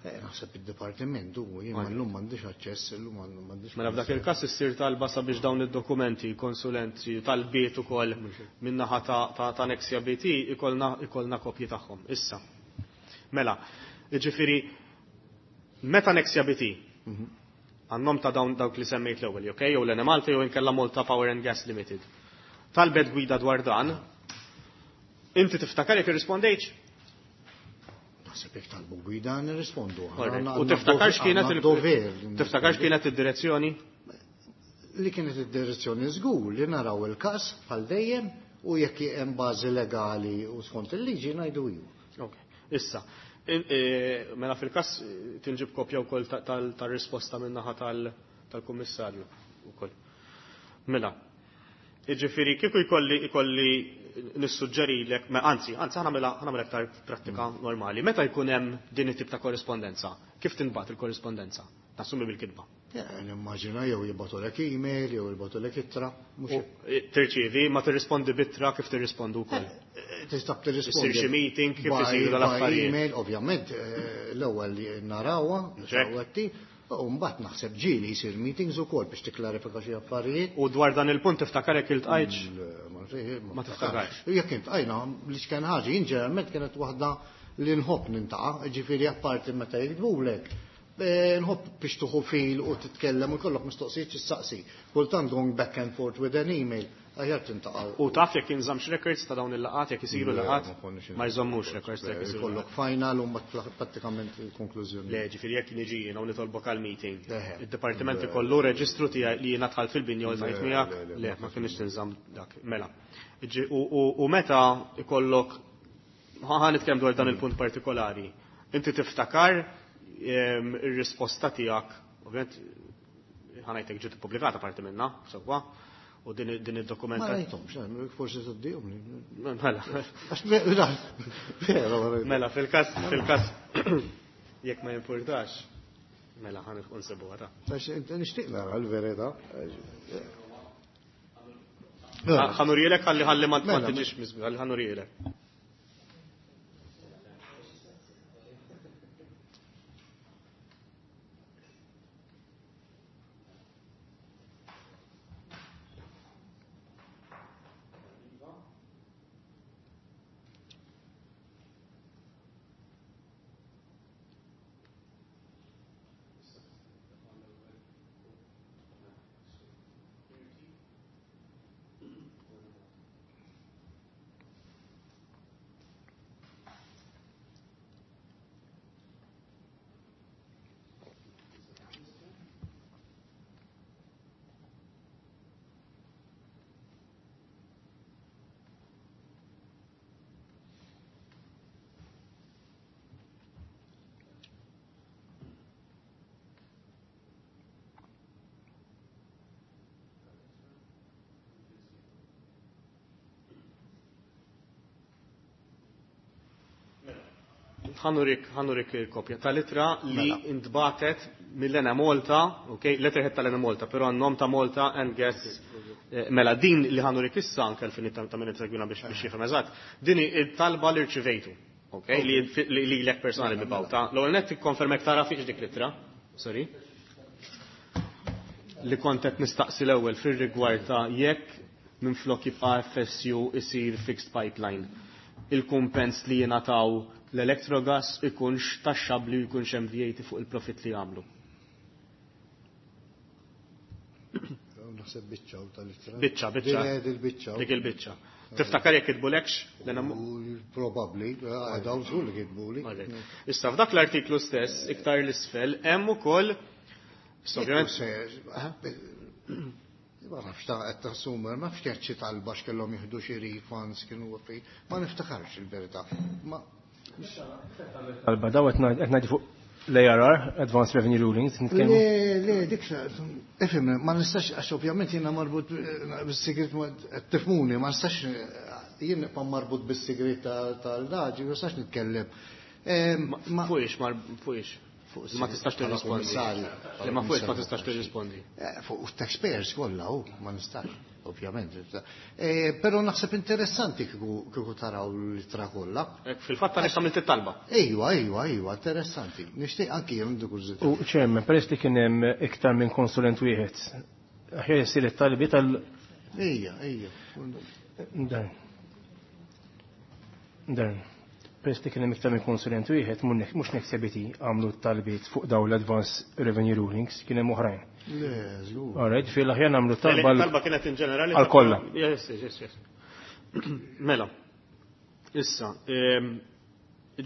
Naħseb id-dipartiment u jien llum m'għandix aċċess, illum m'għandix. Mela f'dak il-każ issir talba sabiex dawn id-dokumenti, konsulenti, talbiet ukoll min-naħa ta' Nexia B T ikollna ikollna kopji tagħhom. Issa. Mela, jiġifieri meta Nexia B T għan-nom ta' dawn dawk li semmejt l-ewwel, okej, jew l-Enemalta jew inkella Malta Power and Gas Limited. Talbet gwida dwar dan, inti tiftakar jekk irrispondejtx? Naħseb jekk talbu gwida nirrispondu. U tiftakar x'kienet il- x'kienet id-direzzjoni? Li kienet id-direzzjoni żgur li naraw il-każ bħal dejjem u jekk hemm bażi legali u skont il-liġi ngħidu iva. Ok, issa. Mela fil-każ tinġib kopja wkoll tar-risposta min-naħa tal-kummissarju wkoll. Mela, jiġifieri kieku jkolli jkolli nissuġġerilek, anzi, anzi ħa nagħmel aktar prattika normali. Meta jkun hemm din it-tip ta' korrispondenza, kif tinbagħat il-korrispondenza? Nassumi bil-kitba. Nimmaġina jew jibgħatulek email jew jibgħatulek ittra. Tirċievi, ma tirrispondi b'ittra kif tirrispondu wkoll. Tista' tirrispondi. Isir xi meeting kif isiru dal-affarijiet. Email, ovvjament, l-ewwel narawha, u mbagħad naħseb ġieli jsir meetings ukoll biex tikklarifika xi affarijiet. U dwar dan il-punt tiftakar jekk iltqajtx? Ma tiftakarx. Jekk iltqajna li x'kien ħaġa, jien ġeneralment kienet waħda li nħobb nintaqa', ġifieri apparti meta jiktbulek. Nħobb biex tuħu fil u titkellem u jkollok mistoqsijiet x'issaqsi. Kultant going back and forth with an email, aħjar tintaqa'. U taf jekk inżammx records ta' dawn il-laqgħat jekk isiru laqgħat? Ma jżommux records jekk isiru. Jkollok final u mbagħad prattikament il-konklużjoni. Le, ġifieri jekk niġi jiena u nitolbok għal meeting. Id-dipartiment ikollu reġistru tiegħi li jiena dħalt fil-binja u ltqajt miegħek? Le, ma kienx tinżamm dak. Mela. U meta ikollok ħa nitkellem dwar dan il-punt partikolari. Inti tiftakar ir-risposta tiegħek, ovvjament ħa ngħidlek ġiet ippubblikata parti minnha, sewwa, u din din id-dokumenta. Ma rajthomx, forsi tgħaddihom. Mela. Mela, fil-każ fil-każ jekk ma jimpurtax, mela ħa nsibuha ta'. Għax nixtieq nara l-verità. Ħa nurielek ħalli ħalli ma tiġix miżbieħ, ħalli ħa nurielek. Eżatt, ħa nurik ħa nurik il-kopja tal-ittra li intbagħtet mill-Enemalta, ok, letterhead tal-Enemalta, però għan-nom ta' Malta and Gas. eh, Mela din li ħa nurik issa anke l-finit ta' min segwina biex biex jifhem eżatt. Din hi il-talba li rċivejtu, ok, li li lilek personali mibgħuta. L-ewwel nett ikkonfermek tara fiex dik l-ittra. Sorry. Li kont qed nistaqsi l-ewwel fir-rigward ta' jekk minflok jibqa' F S U isir fixed pipeline, il-kumpens li jingħataw l-Electrogas ikunx taxxabli u jkunx hemm V A T fuq il-profit li jagħmlu. Naħseb biċċa u tal-ittra. Biċċa, biċċa. Din il-biċċa. Dik il-biċċa. Tiftakar jekk kitbulekx? U Probabbli, dawn żgur li kitbuli. Issa f'dak l-artiklu stess, iktar l-isfel, hemm ukoll. Issa, ovvjament, Ma nafx ta' qed tassummer, ma nafx kienet xi talba x'kellhom jieħdu xi refunds kienu fi, ma niftakarx il-verità. Ma Talba daw qed ngħidu fuq l-A R R, Advanced Revenue Rulings, nitkellmu. Le, le, dik ifhem, ma nistax, għax ovvjament jiena marbut bis-sigrit, qed tifhmuni, ma nistax jien nibqa' marbut bis-sigrit tal-daġi, ma nistax nitkellem. Ma fuqix, mar fuqix. Ma tistax tirrispondi. Le, ma fuqix ma tistax tirrispondi. Eh, fuq taxpayers kollha, u ma nistax, ovvjament. Eh, Però naħseb interessanti kieku kieku taraw l-ittra kollha. Fil-fatt għaliex għamilt it-talba. Ejwa, ejwa, ejwa, interessanti. Nixtieq anki jien għandi kurżità. U Chairman, peress li kien hemm iktar minn konsulent wieħed, aħjar jsir it-talbi tal- Ejja, ejja. Dan. Dan. Peress li kien hemm iktar minn konsulent wieħed, mhux Nexia B T għamlu t-talbiet fuq dawn l-Advance Revenue Rulings, kien hemm oħrajn. Le, żgur. Alright, fil aħjar nagħmlu talba Talba kienet in ġenerali. Għal kollha. Yes, yes, yes. Mela. Issa, ehm,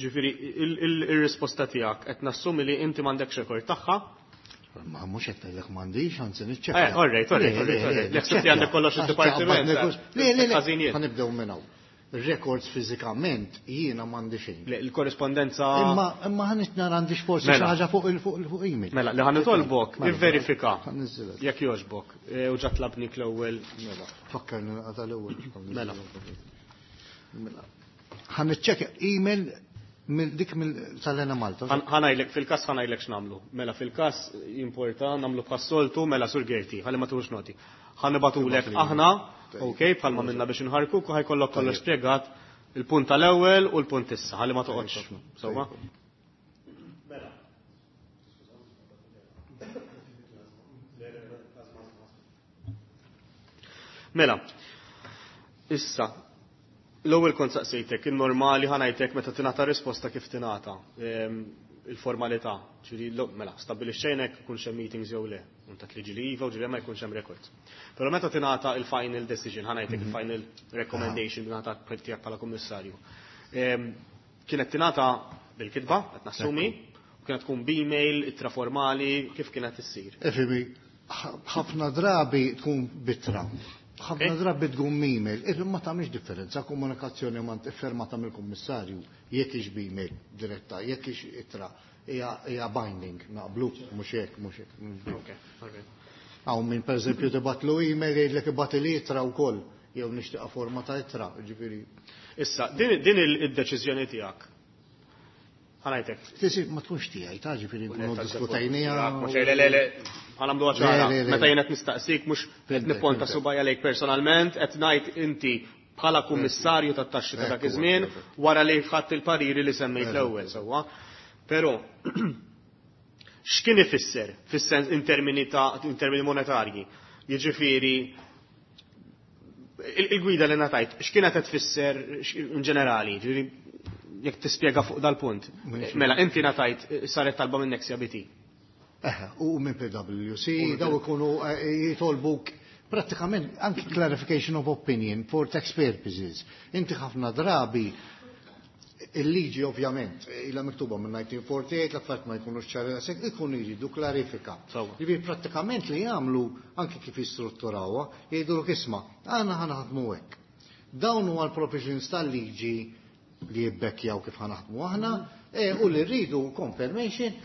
ġifieri, il-risposta tiegħek qed nassumi li inti m'għandekx rekord tagħha. Ma mhux qed ngħidlek m'għandix, anzi niċċekkja. Eh, all right, all right, all right, all right. Jekk inti għandek kollox id-dipartiment. Le, le, le. Ħażinijiet. Ħa nibdew minn hawn. Records fiżikament jiena m'għandi xejn. Le, il-korrespondenza. Imma imma ħa nara għandix forsi Mela. xi ħaġa fuq il fuq il fuq email. Mela, li ħa nitolbok, Mela, ivverifika. Ħa niżżilha. Jekk jogħġbok. E, u ġa tlabnik l-ewwel. Mela, fakkarni naqta l-ewwel. Mela. Mela. Ħa niċċekkja email mill dik mill tal-Enemalta. Ħa ngħidlek, fil-kas ħa ngħidlek x'nagħmlu. Mela fil-kas importa nagħmlu bħas-soltu, mela, Sur Gerti, ħalli ma tux noti. Ħa nibagħtulek aħna, ok, bħalma minna biex inħarku, ħa jkollok kollox spjegat il-punt tal-ewwel u l-punt issa, ħalli ma toqgħodx. Sewwa? Mela. Mela, issa, l-ewwel kont saqsejtek, il-normali ħa ngħidlek meta tingħata risposta kif tingħata ehm, il-formalità. Ġifieri mela, stabbilixxejnek jkunx hemm meetings jew le. Unta tliġi li iva u ġieli ma jkunx hemm records. Però meta tingħata il-final decision, ħa ngħidlek il-final recommendation li ngħata tiegħek bħala kummissarju. Ehm, kienet tingħata bil-kitba, qed nassumi, u kienet tkun b'email, ittra formali, kif kienet issir? Ifhimni, ħafna drabi tkun b'ittra. Ħafna drabi tkun email. Ifhem, ma tagħmilx differenza, komunikazzjoni ma iffirmata mill-kummissarju, jekk hix b'email diretta, jekk hix ittra, hija hija binding, naqblu, mhux hekk, mhux hekk. Okay, okay. Hawn min pereżempju tibgħatlu email jgħidlek ibgħat ittra wkoll, jew nixtieqa forma ta' ittra, ġifieri. Issa, din din il-deċiżjoni tiegħek. Ħa ngħidlek. Tisi ma tkunx tiegħi, ta' ġifieri nkunu diskutajnija. Mhux le le le, ħa nagħmlu ċara. Le, le, le. Meta jien qed nistaqsik mhux qed nipponta subgħajja lejk personalment, qed ngħid inti bħala kummissarju tat-taxxi ta' dak iż-żmien wara li ħadd il-pariri li semmejt l-ewwel sewwa. Però x'kien ifisser fis-sens in termini ta' in termini monetarji? Jiġifieri il-gwida li ngħatajt, x'kienet qed tfisser in ġenerali? Ġifieri jekk tispjega fuq dal-punt. Mela, inti ngħatajt, saret talba minn Nexia B T. Eħe, u minn P W C, daw ikunu eh, jitolbuk pratikament anki clarification of opinion for tax purposes. Inti ħafna drabi il-liġi ovvjament, ila miktuba minn elf disa' mija u erbgħa u erbgħin, l-affarijiet ma jkunux ċari daqshekk, ikunu jridu klarifika. Ġifieri prattikament li jagħmlu anki kif jistrutturawha, jgħidu isma', aħna ħa naħdmu hekk. Dawn huwa l-provisions tal-liġi li jibbekkjaw kif ħa naħdmu aħna, u li rridu confirmation,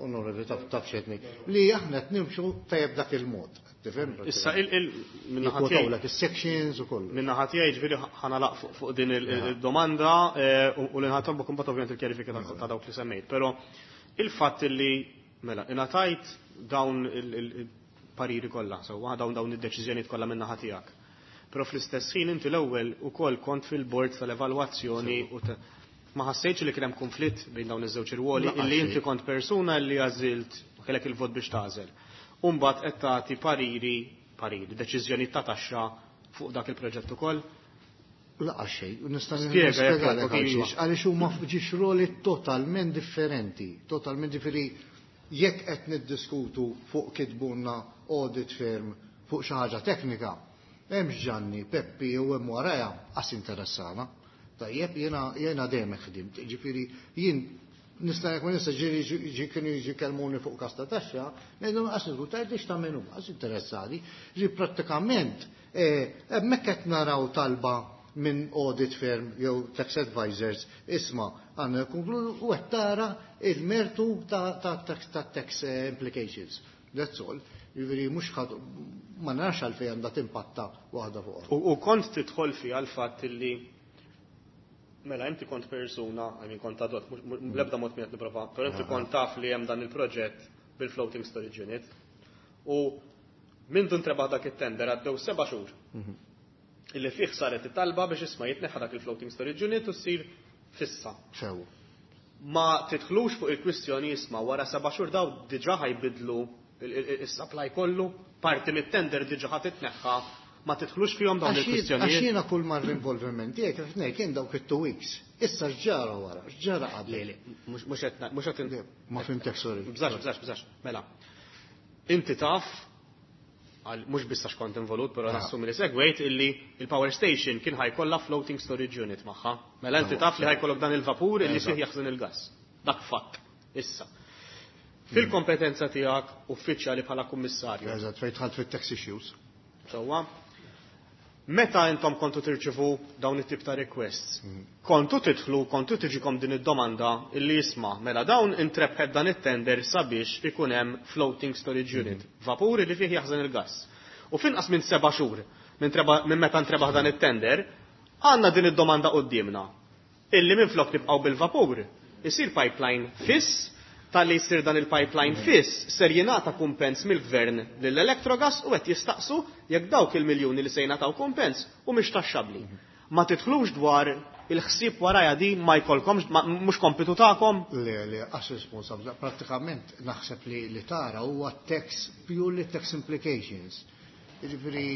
onorevoli taf xedni, li aħna qed nimxu tajjeb dak il-mod. Tifhem? Issa il-minnaħa tiegħi is-sections u kollu. Minnaħa tiegħi ġifieri ħanalaq fuq din il-domanda u li nħatolbok imbagħad ovvjament il-kjarifika ta' dawk li semmejt, però il-fatt li mela ingħatajt dawn il-pariri kollha, sewwa dawn dawn id-deċiżjonijiet kollha min-naħa tiegħek. Però fl-istess ħin inti l-ewwel ukoll kont fil-bord tal-evalwazzjoni u ma ħassejtx li kien hemm konflitt bejn dawn iż-żewġ irwoli illi inti kont persuna li għażilt u kellek il-vot biex tagħżel. U mbagħad qed tagħti pariri, pariri, deċiżjoni ta' taxxa fuq dak il-proġett ukoll. Laqa xejn, u nista' nispjegalek għaliex, għaliex huma ġiex roli totalment differenti, totalment differenti. Jekk qed niddiskutu fuq kitbunna audit firm fuq xi ħaġa teknika, hemmx Ġanni, Peppi u hemm warajha qas interessana. Tajjeb, jiena jiena dejjem ħdimt, ġifieri jien nista' jekk ma nista' ġieli kienu jiġi kellmuni fuq każ ta' taxxa, ngħidilhom qas niżgur tgħidlix ta' min hu, qas interessani. Ġi prattikament hemmhekk qed naraw talba minn audit firm jew tax advisors, isma' għandna konkludu u qed tara il-mertu ta' tax implications. That's all. Jiġifieri mhux ħadd ma narax għalfejn għandha timpatta waħda fuq. U kont tidħol fiha l-fatt li mela inti kont persuna, I mean kont adott, bl-ebda mod minn qed nipprova, però inti kont taf li hemm dan il-proġett bil-floating storage unit. U minn dun trebaħ dak it-tender għaddew seba' xhur. Illi fih saret it-talba biex isma' jitneħħa dak il-floating storage unit u ssir fissa. Sew. Ma tidħlux fuq il-kwistjoni isma' wara seba' xhur daw diġà ħajbidlu is-supply kollu, parti mit-tender diġà ħa titneħħa, ma tidħlux fihom dawn il-kwistjonijiet. Għax jiena kull mar l-involviment tiegħek kif ngħid kien dawk it-two weeks. Issa x'ġara wara, x'ġara qabel. Le, le, mhux qed mhux qed Ma fimtek, sorry. Bżax, bżax, bżax. Mela. Inti taf mhux biss għax kont involut, però nassumi li segwejt illi il-power station kien ħajkollha floating storage unit magħha. Mela inti taf li ħajkollok dan il-vapur illi fih jaħżen il-gass. Dak fatt. Issa. Fil-kompetenza tiegħek uffiċjali bħala kummissarju. Eżatt, fejn dħalt fit-tax issues. Sewwa. Meta intom kontu tirċivu dawn it-tip ta' requests, kontu tidħlu, kontu tiġikom din id-domanda illi jisma' mela dawn intrebħet dan it-tender sabiex ikun hemm floating storage unit, vapuri li fih jaħżen il-gass. U finqas minn seba' xhur minn meta ntrebaħ dan it-tender, għandna din id-domanda quddiemna. Illi minn flok nibqgħu bil-vapur, isir pipeline fiss, tal-li jsir dan il-pipeline fiss ser jingħata kumpens mill-gvern lill-Electrogas u qed jistaqsu jekk dawk il-miljuni li se jingħataw kumpens u mhix taxxabbli. Ma tidħlux dwar il-ħsieb warajja di ma jkollkomx, mhux kompitu tagħkom? Le, le, għax responsabbli. Prattikament naħseb li li tara huwa tax, purely tax implications. Jiġifieri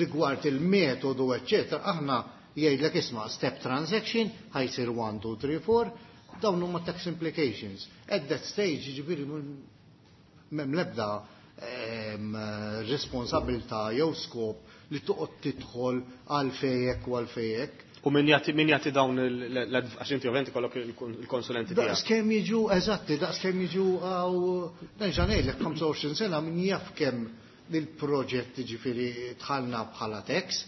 rigward il-metodu, eċċetera, aħna jgħidlek isma' step transaction ħajsir one, two, three, four, dawn huma tax implications. At that stage, jiġifieri m'hemm l-ebda responsabilità jew skop li toqgħod tidħol għal fejek u għal fejek. U min jagħti min jagħti dawn għax inti ovvjament ikollok il-konsulenti tiegħek. Daqs kemm jiġu eżatti, daqs kemm jiġu għaw nerġa' ngħidlek ħamsa u għoxrin sena min jaf kemm il-proġett ġifieri dħalna bħala tax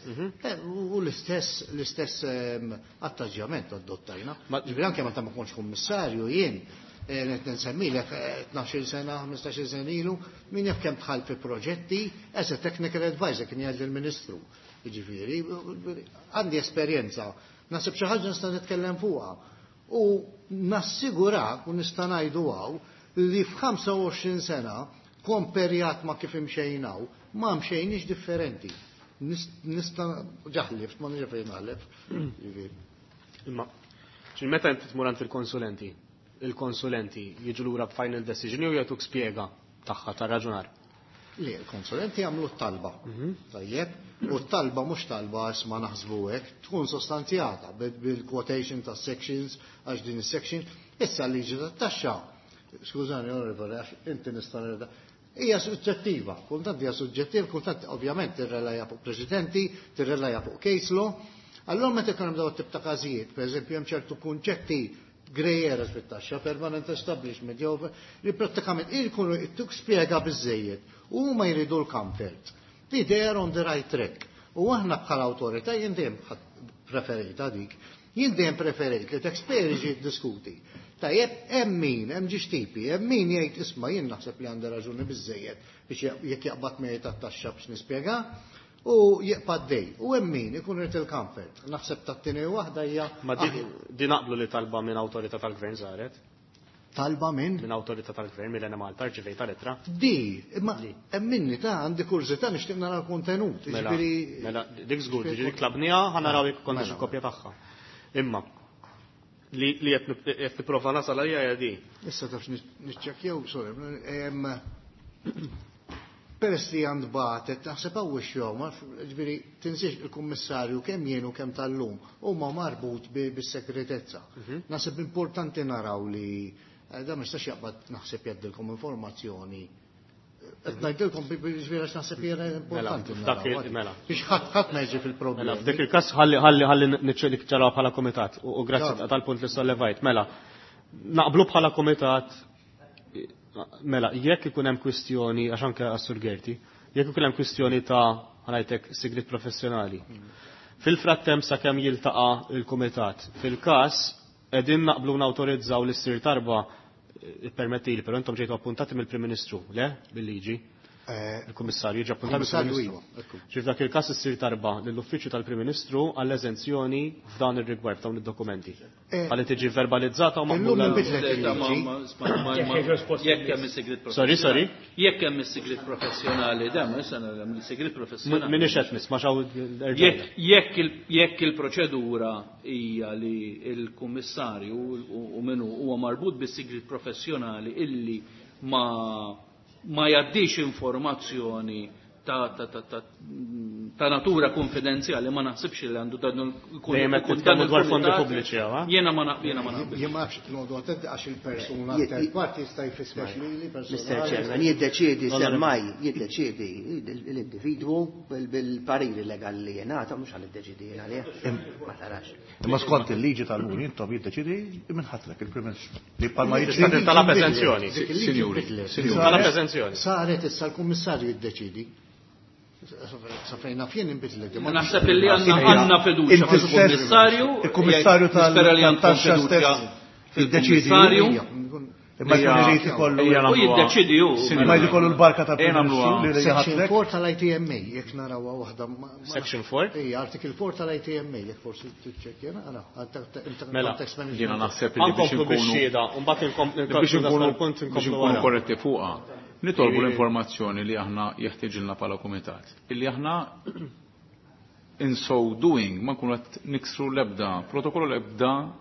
u l-istess l-istess attaġġjament adottajna. Ġifieri anke meta ma kontx kummissarju jien qed nsemmilek tnax-il sena, ħmistax-il sena ilu, min jaf kemm dħal fi proġetti as a technical advisor kien jgħid lill-Ministru. Jiġifieri għandi esperjenza, naħseb xi ħaġa nista' nitkellem fuqha. U nassigurak u nista' ngħidu hawn li f'ħamsa u għoxrin sena komperjat ma kif imxejnaw, ma mxejniex differenti. Nista' ġaħlift, ma nix fejn naħlef. Imma, meta inti tmur għand il-konsulenti, il-konsulenti jiġu lura b'final decision jew jagħtuk spjega tagħha ta' raġunar? Le, il-konsulenti jagħmlu t-talba. Tajjeb, u t-talba mhux talba għax ma naħsbu hekk, tkun sostanzjata bil-quotation ta' sections għax din is-section. Issa l-liġi tat-taxxa, skużani, onorevoli, għax inti nista' nirda, hija suġġettiva, kultant hija suġġettiva, kultant ovvjament tirrelaja fuq preċedenti, tirrelaja fuq case law. Allora meta jkun hemm dawn tip ta' każijiet, pereżempju hemm ċertu kunċetti grey areas fit-taxxa, permanent establishment, jew li prattikament jkunu tuk spjega biżejjed u huma jridu l-comfort. Li they are on the right track. U aħna bħala awtorità jien dejjem preferita dik. Jien dejjem preferejt li taxpayer jiġi jiddiskuti. Tajjeb, hemm min, hemm ġiex tipi, hemm min jgħid isma' jien naħseb li għandha raġuni biżejjed biex jekk jaqbad miegħi tat-taxxa biex nispjega u jibqa' dej. U hemm min ikun irid il-comfort. Naħseb tat-tieni waħda hija. Ma di naqblu li talba minn awtorità tal-gvern saret? Talba minn? Minn awtorità tal-gvern mill-Enemalta rċivejta lettra. Di, imma hemm minni ta' għandi kurżità nixtieq nara l-kontenut. Mela, mela dik żgur, dik tlabniha ħa naraw jekk kontx il-kopja tagħha. Imma li li qed nipprova nasal għalija hija di. Issa tafx niċċekkjaw, sorry, peress li għand batet, naħseb hawn xogħol, ġifieri tinsiex il-kummissarju kemm jien u kemm tal-lum huma marbut bis-segretezza. Naħseb importanti naraw li da ma jistax jaqbad naħseb jgħaddilkom informazzjoni. Qed ngħidilkom ġifieri għax naħseb hija importanti. Mela. Biex ħadd ħadd ma jiġi fil-problemi. Mela, f'dik il-każ ħalli ħalli ħalli niċċaraw bħala kumitat u grazzi tal-punt li sollevajt. Mela, naqblu bħala kumitat mela, jekk ikun hemm kwistjoni, għax anke għas-Sur Gerti, jekk ikun hemm kwistjoni ta' ħanajtek sigrit professjonali. Fil-frattemp sakemm jiltaqa' il-kumitat, fil-każ qegħdin naqblu nawtorizzaw li ssir tarba permettili, però intom ġejtu appuntati mill-Prim Ministru, le? Bil-liġi. Il-Kummissarju ġie appuntat mill-Prim Ministru. Ġifieri f'dak il-każ issir tarba lill-Uffiċċju tal-Prim Ministru għall-eżenzjoni f'dan ir-rigward f'dawn id-dokumenti. Ħalli tiġi verbalizzata u maqbula. Jekk hemm is-sigrit professjonali. Sorry, sorry. Jekk hemm is-sigrit professjonali, dan ma issa hemm is-sigrit professjonali. Minix qed nisma' x'hawn. Jekk il-proċedura hija li l-kummissarju u minnu huwa marbut bis-sigrit professjonali illi ma ma jaddix informazzjoni ta', ta, ta, ta, ta natura konfidenzjali, ma naħsibx li għandu dan il dwar fondi pubbliċi, ha? Jiena ma jiena ma naqbilx. Jien ma nafx noqogħdu attenti għax il-persuna third party jista' jfissex lili personali. Mister Chairman, jiddeċiedi semmai, jiddeċiedi l-individwu bil-pariri legali li jingħata, mhux għal iddeċiedi jien għalih. Ma tarax. Imma skont il-liġi tal-Unjoni intom jiddeċiedi minn ħatlek il-Prim Ministru. Li bħalma jiġri talab eżenzjoni. Sinjuri, talab eżenzjoni. Saret issa l-Kummissarju jiddeċiedi. Sa fejn naf jien inbidlet. Naħseb illi għandna fiduċja fil-Kummissarju. Il-Kummissarju tal-taxxa stess fil-Kummissarju. Imma jkun irid ikollu u jiddeċidi hu. Imma jrid ikollu l-barka tal-Prim Ministru. Section four tal-I T M A jekk narawha waħda. Section four? Ejja, Article four tal-I T M A jekk forsi tiċċekkja naqra. Mela, jiena naħseb li biex inkunu biex inkunu korretti fuqha. Nitolbu l-informazzjoni li aħna jeħtieġilna bħala kumitat. Illi aħna in so doing ma nkunu qed niksru l-ebda protokollu l-ebda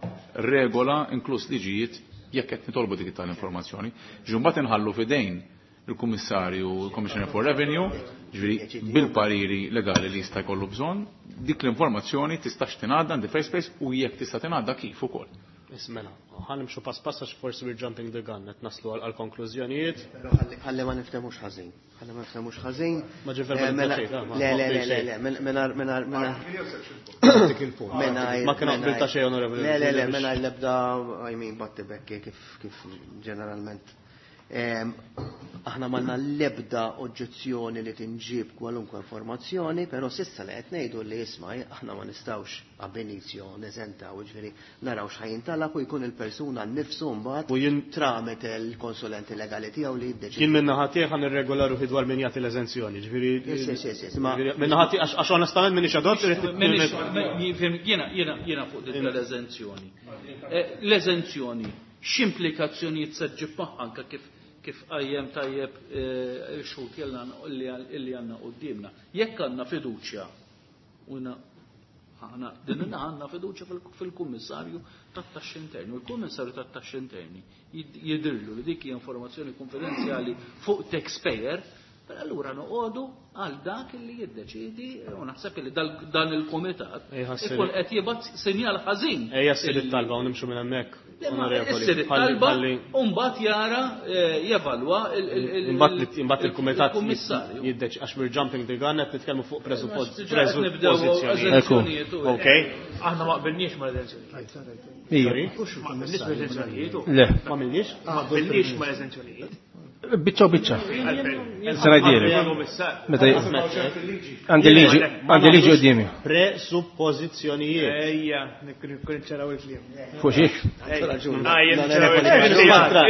regola inkluż liġijiet jekk qed nitolbu dik tal-informazzjoni. Ġi mbagħad inħallu f'idejn il-Kummissarju, il-Commissioner for Revenue, ġifieri bil-pariri legali li jista' jkollu bżonn, dik l-informazzjoni tistax tingħadda in the first place u jekk tista' tingħadda kif ukoll. Ismela, ħanimxu pass pass għax forsi we're jumping the gun, qed naslu għal konklużjonijiet. Però ħalli ma niftemux ħażin. Ħalli ma niftemux ħażin. Ma ġie verbalizzat xejn. Le, le, le, le, mingħajr mingħajr mingħajr ma kien qbil ta' xejn, onorevoli. Le, le, le, mingħajr l-ebda, I mean, batti bekki kif kif ġeneralment. Aħna m'għandna l-ebda oġġezzjoni li tinġib kwalunkwe informazzjoni, però sissa li qed ngħidu li isma' aħna ma nistgħux ab inizio neżentaw, jiġifieri naraw x'ħajn talab u jkun il-persuna nnifsu mbagħad tramite l-konsulenti legali tiegħu li jiddeċidi. Jien minn naħa tiegħi ħa nirregola ruħi dwar min jagħti l-eżenzjoni, ġifieri. Minn naħa tiegħi għax onestament m'iniex adott jiena jiena jiena fuq din l-eżenzjoni. L-eżenzjoni x'implikazzjonijiet se ġġib magħha anke kif kif qajjem tajjeb xhud illi għandna quddiemna. Jekk għandna fiduċja u aħna din għandna fiduċja fil-Kummissarju tat-Taxxi Interni. U l-Kummissarju tat-Taxxi Interni jidhirlu li dik hija informazzjoni konfidenzjali fuq taxpayer, però allura noqogħdu għal dak li jiddeċidi u naħseb li dan il-kumitat ikun qed jibgħat sinjal ħażin. Ejja ssir it-talba u nimxu minn hemmhekk. Issir it-talba u mbagħad jara jevalwa imbagħad il-kumitat jiddeċ għax we're jumping the gun qed nitkellmu fuq preżuppożizzjonijiet. Okej. Aħna ma qbilniex mal-eżenzjonijiet. Ma qbilniex mal-eżenzjonijiet. Le. Ma qbilniex? Ma qbilniex mal-eżenzjonijiet. Biċċa u biċċa. Għandi liġi, għandi liġi quddiemi. Presuppożizzjonijiet. Ejja, nikkonċeraw il-kliem. Fuq xiex?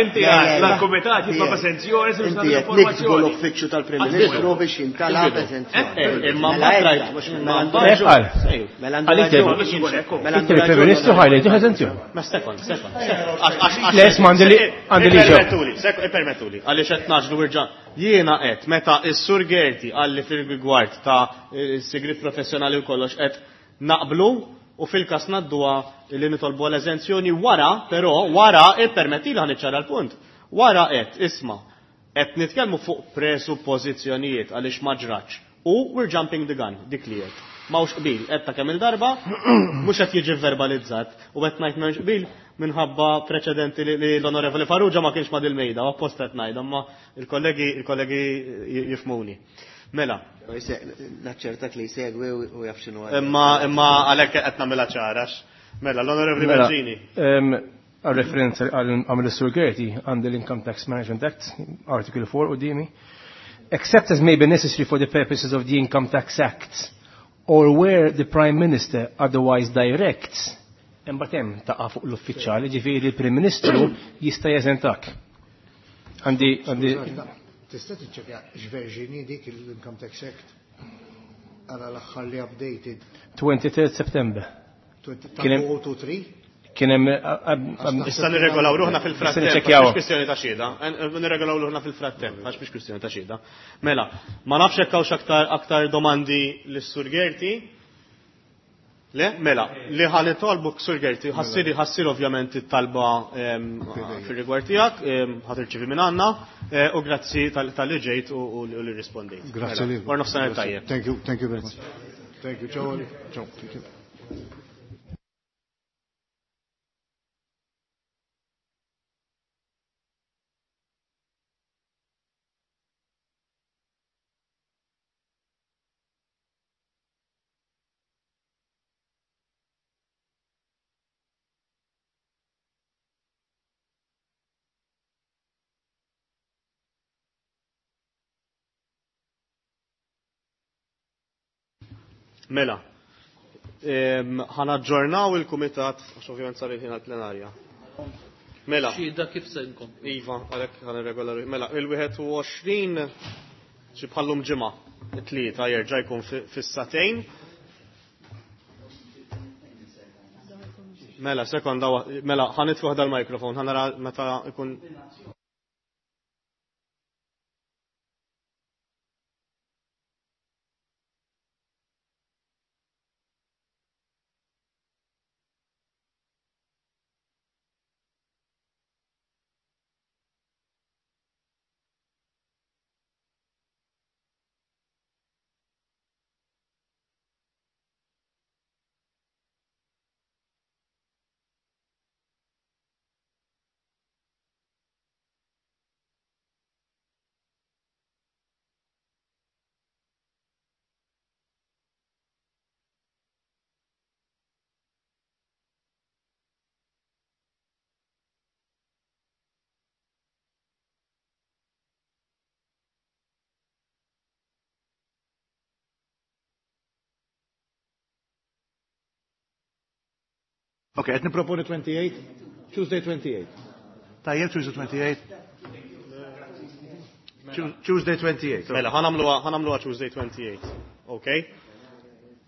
Inti l-kumitat jitlob esenzjoni Inti qed niktbu l-uffiċċju tal-Prim Ministru biex jintalab esenzjoni. Imma mbagħad Mela Il-Prim Ministru ħajli tieħu esenzjoni. Ma sekond, sekond. Le, isma' għandi liġi. Permettuli, permettuli, għaliex qed naġlu wirġa'. Jiena qed meta s-Sur Gerti għalli fil-rigward ta' sigriet professjonali u kollox qed naqblu u fil-każ ngħadduha li nitolbu l-eżenzjoni wara, però wara ippermettili ħa niċċara l-punt. Wara qed isma' qed nitkellmu fuq presuppożizzjonijiet għaliex ma ġratx. U we're jumping the gun, dik li qed. M'hawnx qbil, qed ta' kemm il-darba, mhux qed jiġi verbalizzat u qed ngħid m'hemmx qbil minħabba preċedenti li l-Onorevoli Farrugia ma kienx ma' dil-mejda, u apposta qed ngħid, imma il-kollegi il-kollegi jifhmuni. Mela. Naċċertak li jsegwi u jaf x'inhu. Imma imma għalhekk qed nagħmilha ċara. Mela, l-Onorevoli Bezzini. Għal referenza għamil Sur Gerti għandi l-Income Tax Management Act, Article four quddiemi. Except as may be necessary for the purposes of the Income Tax Act, or where the Prime Minister otherwise directs, imbagħad hemm taqa' fuq l-uffiċjali, ġifieri l-Prim Ministru jista' jeżentak. Għandi għandi Tista' tiċċekkja x'verżjoni dik l-Income Tax Act għala l-aħħar li updated. twenty-third September. two oh three? Kien hemm Issa nirregolaw ruħna fil-frattemp, mhux kwistjoni ta' xhieda. Nirregolaw ruħna fil-frattemp, għax mhux kwistjoni ta' xhieda. Mela, ma nafx hekk hawnx aktar aktar domandi lis-Sur Gerti. Le, mela, li ħa nitolbu Sur Gerti, ħassir ħassir ovvjament it-talba fir-rigward tiegħek, ħa tirċievi minn għandna, u grazzi tal-li ġejt u li rispondejt. Grazzi lilek. Wara nofsinhar tajjeb. Thank you, thank you very much. Thank you, ciao. Ciao, thank you. Mela, ħa naġġornaw il-kumitat, għax ovvjament sar il-ħin għal-plenarja. Mela. Xhieda kif se nkomplu? Iva, għalhekk ħa nirregola. Mela, il-wieħed u għoxrin xi bħallum ġimgħa, it-tlieta jerġa' jkun fis-sagħtejn. Mela, sekonda, mela, ħa nitfuh dal-mikrofon, ħa nara meta jkun. Ok, qed niproponi twenty-eight? Tuesday twenty-eight. Tajjeb, Tuesday twenty-eight? Tuesday twenty-eight. Mela, ħa nagħmluha, ħa nagħmluha Tuesday twenty-eight. Ok?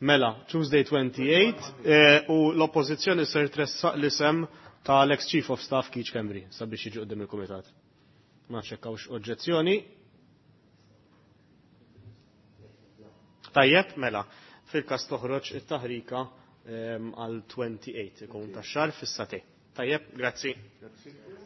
Mela, Tuesday twenty-eight, eh, u l-oppożizzjoni ser tressaq l-isem tal-ex Chief of Staff Keith Schembri sabiex jiġi quddiem il-Kumitat. Ma nafx hekk hawnx oġġezzjoni. Tajjeb, mela, fil-każ toħroġ it-taħrika għal twenty-eight ikun tax-xahar fis-sagħtejn. Tajjeb, grazzi. Grazzi.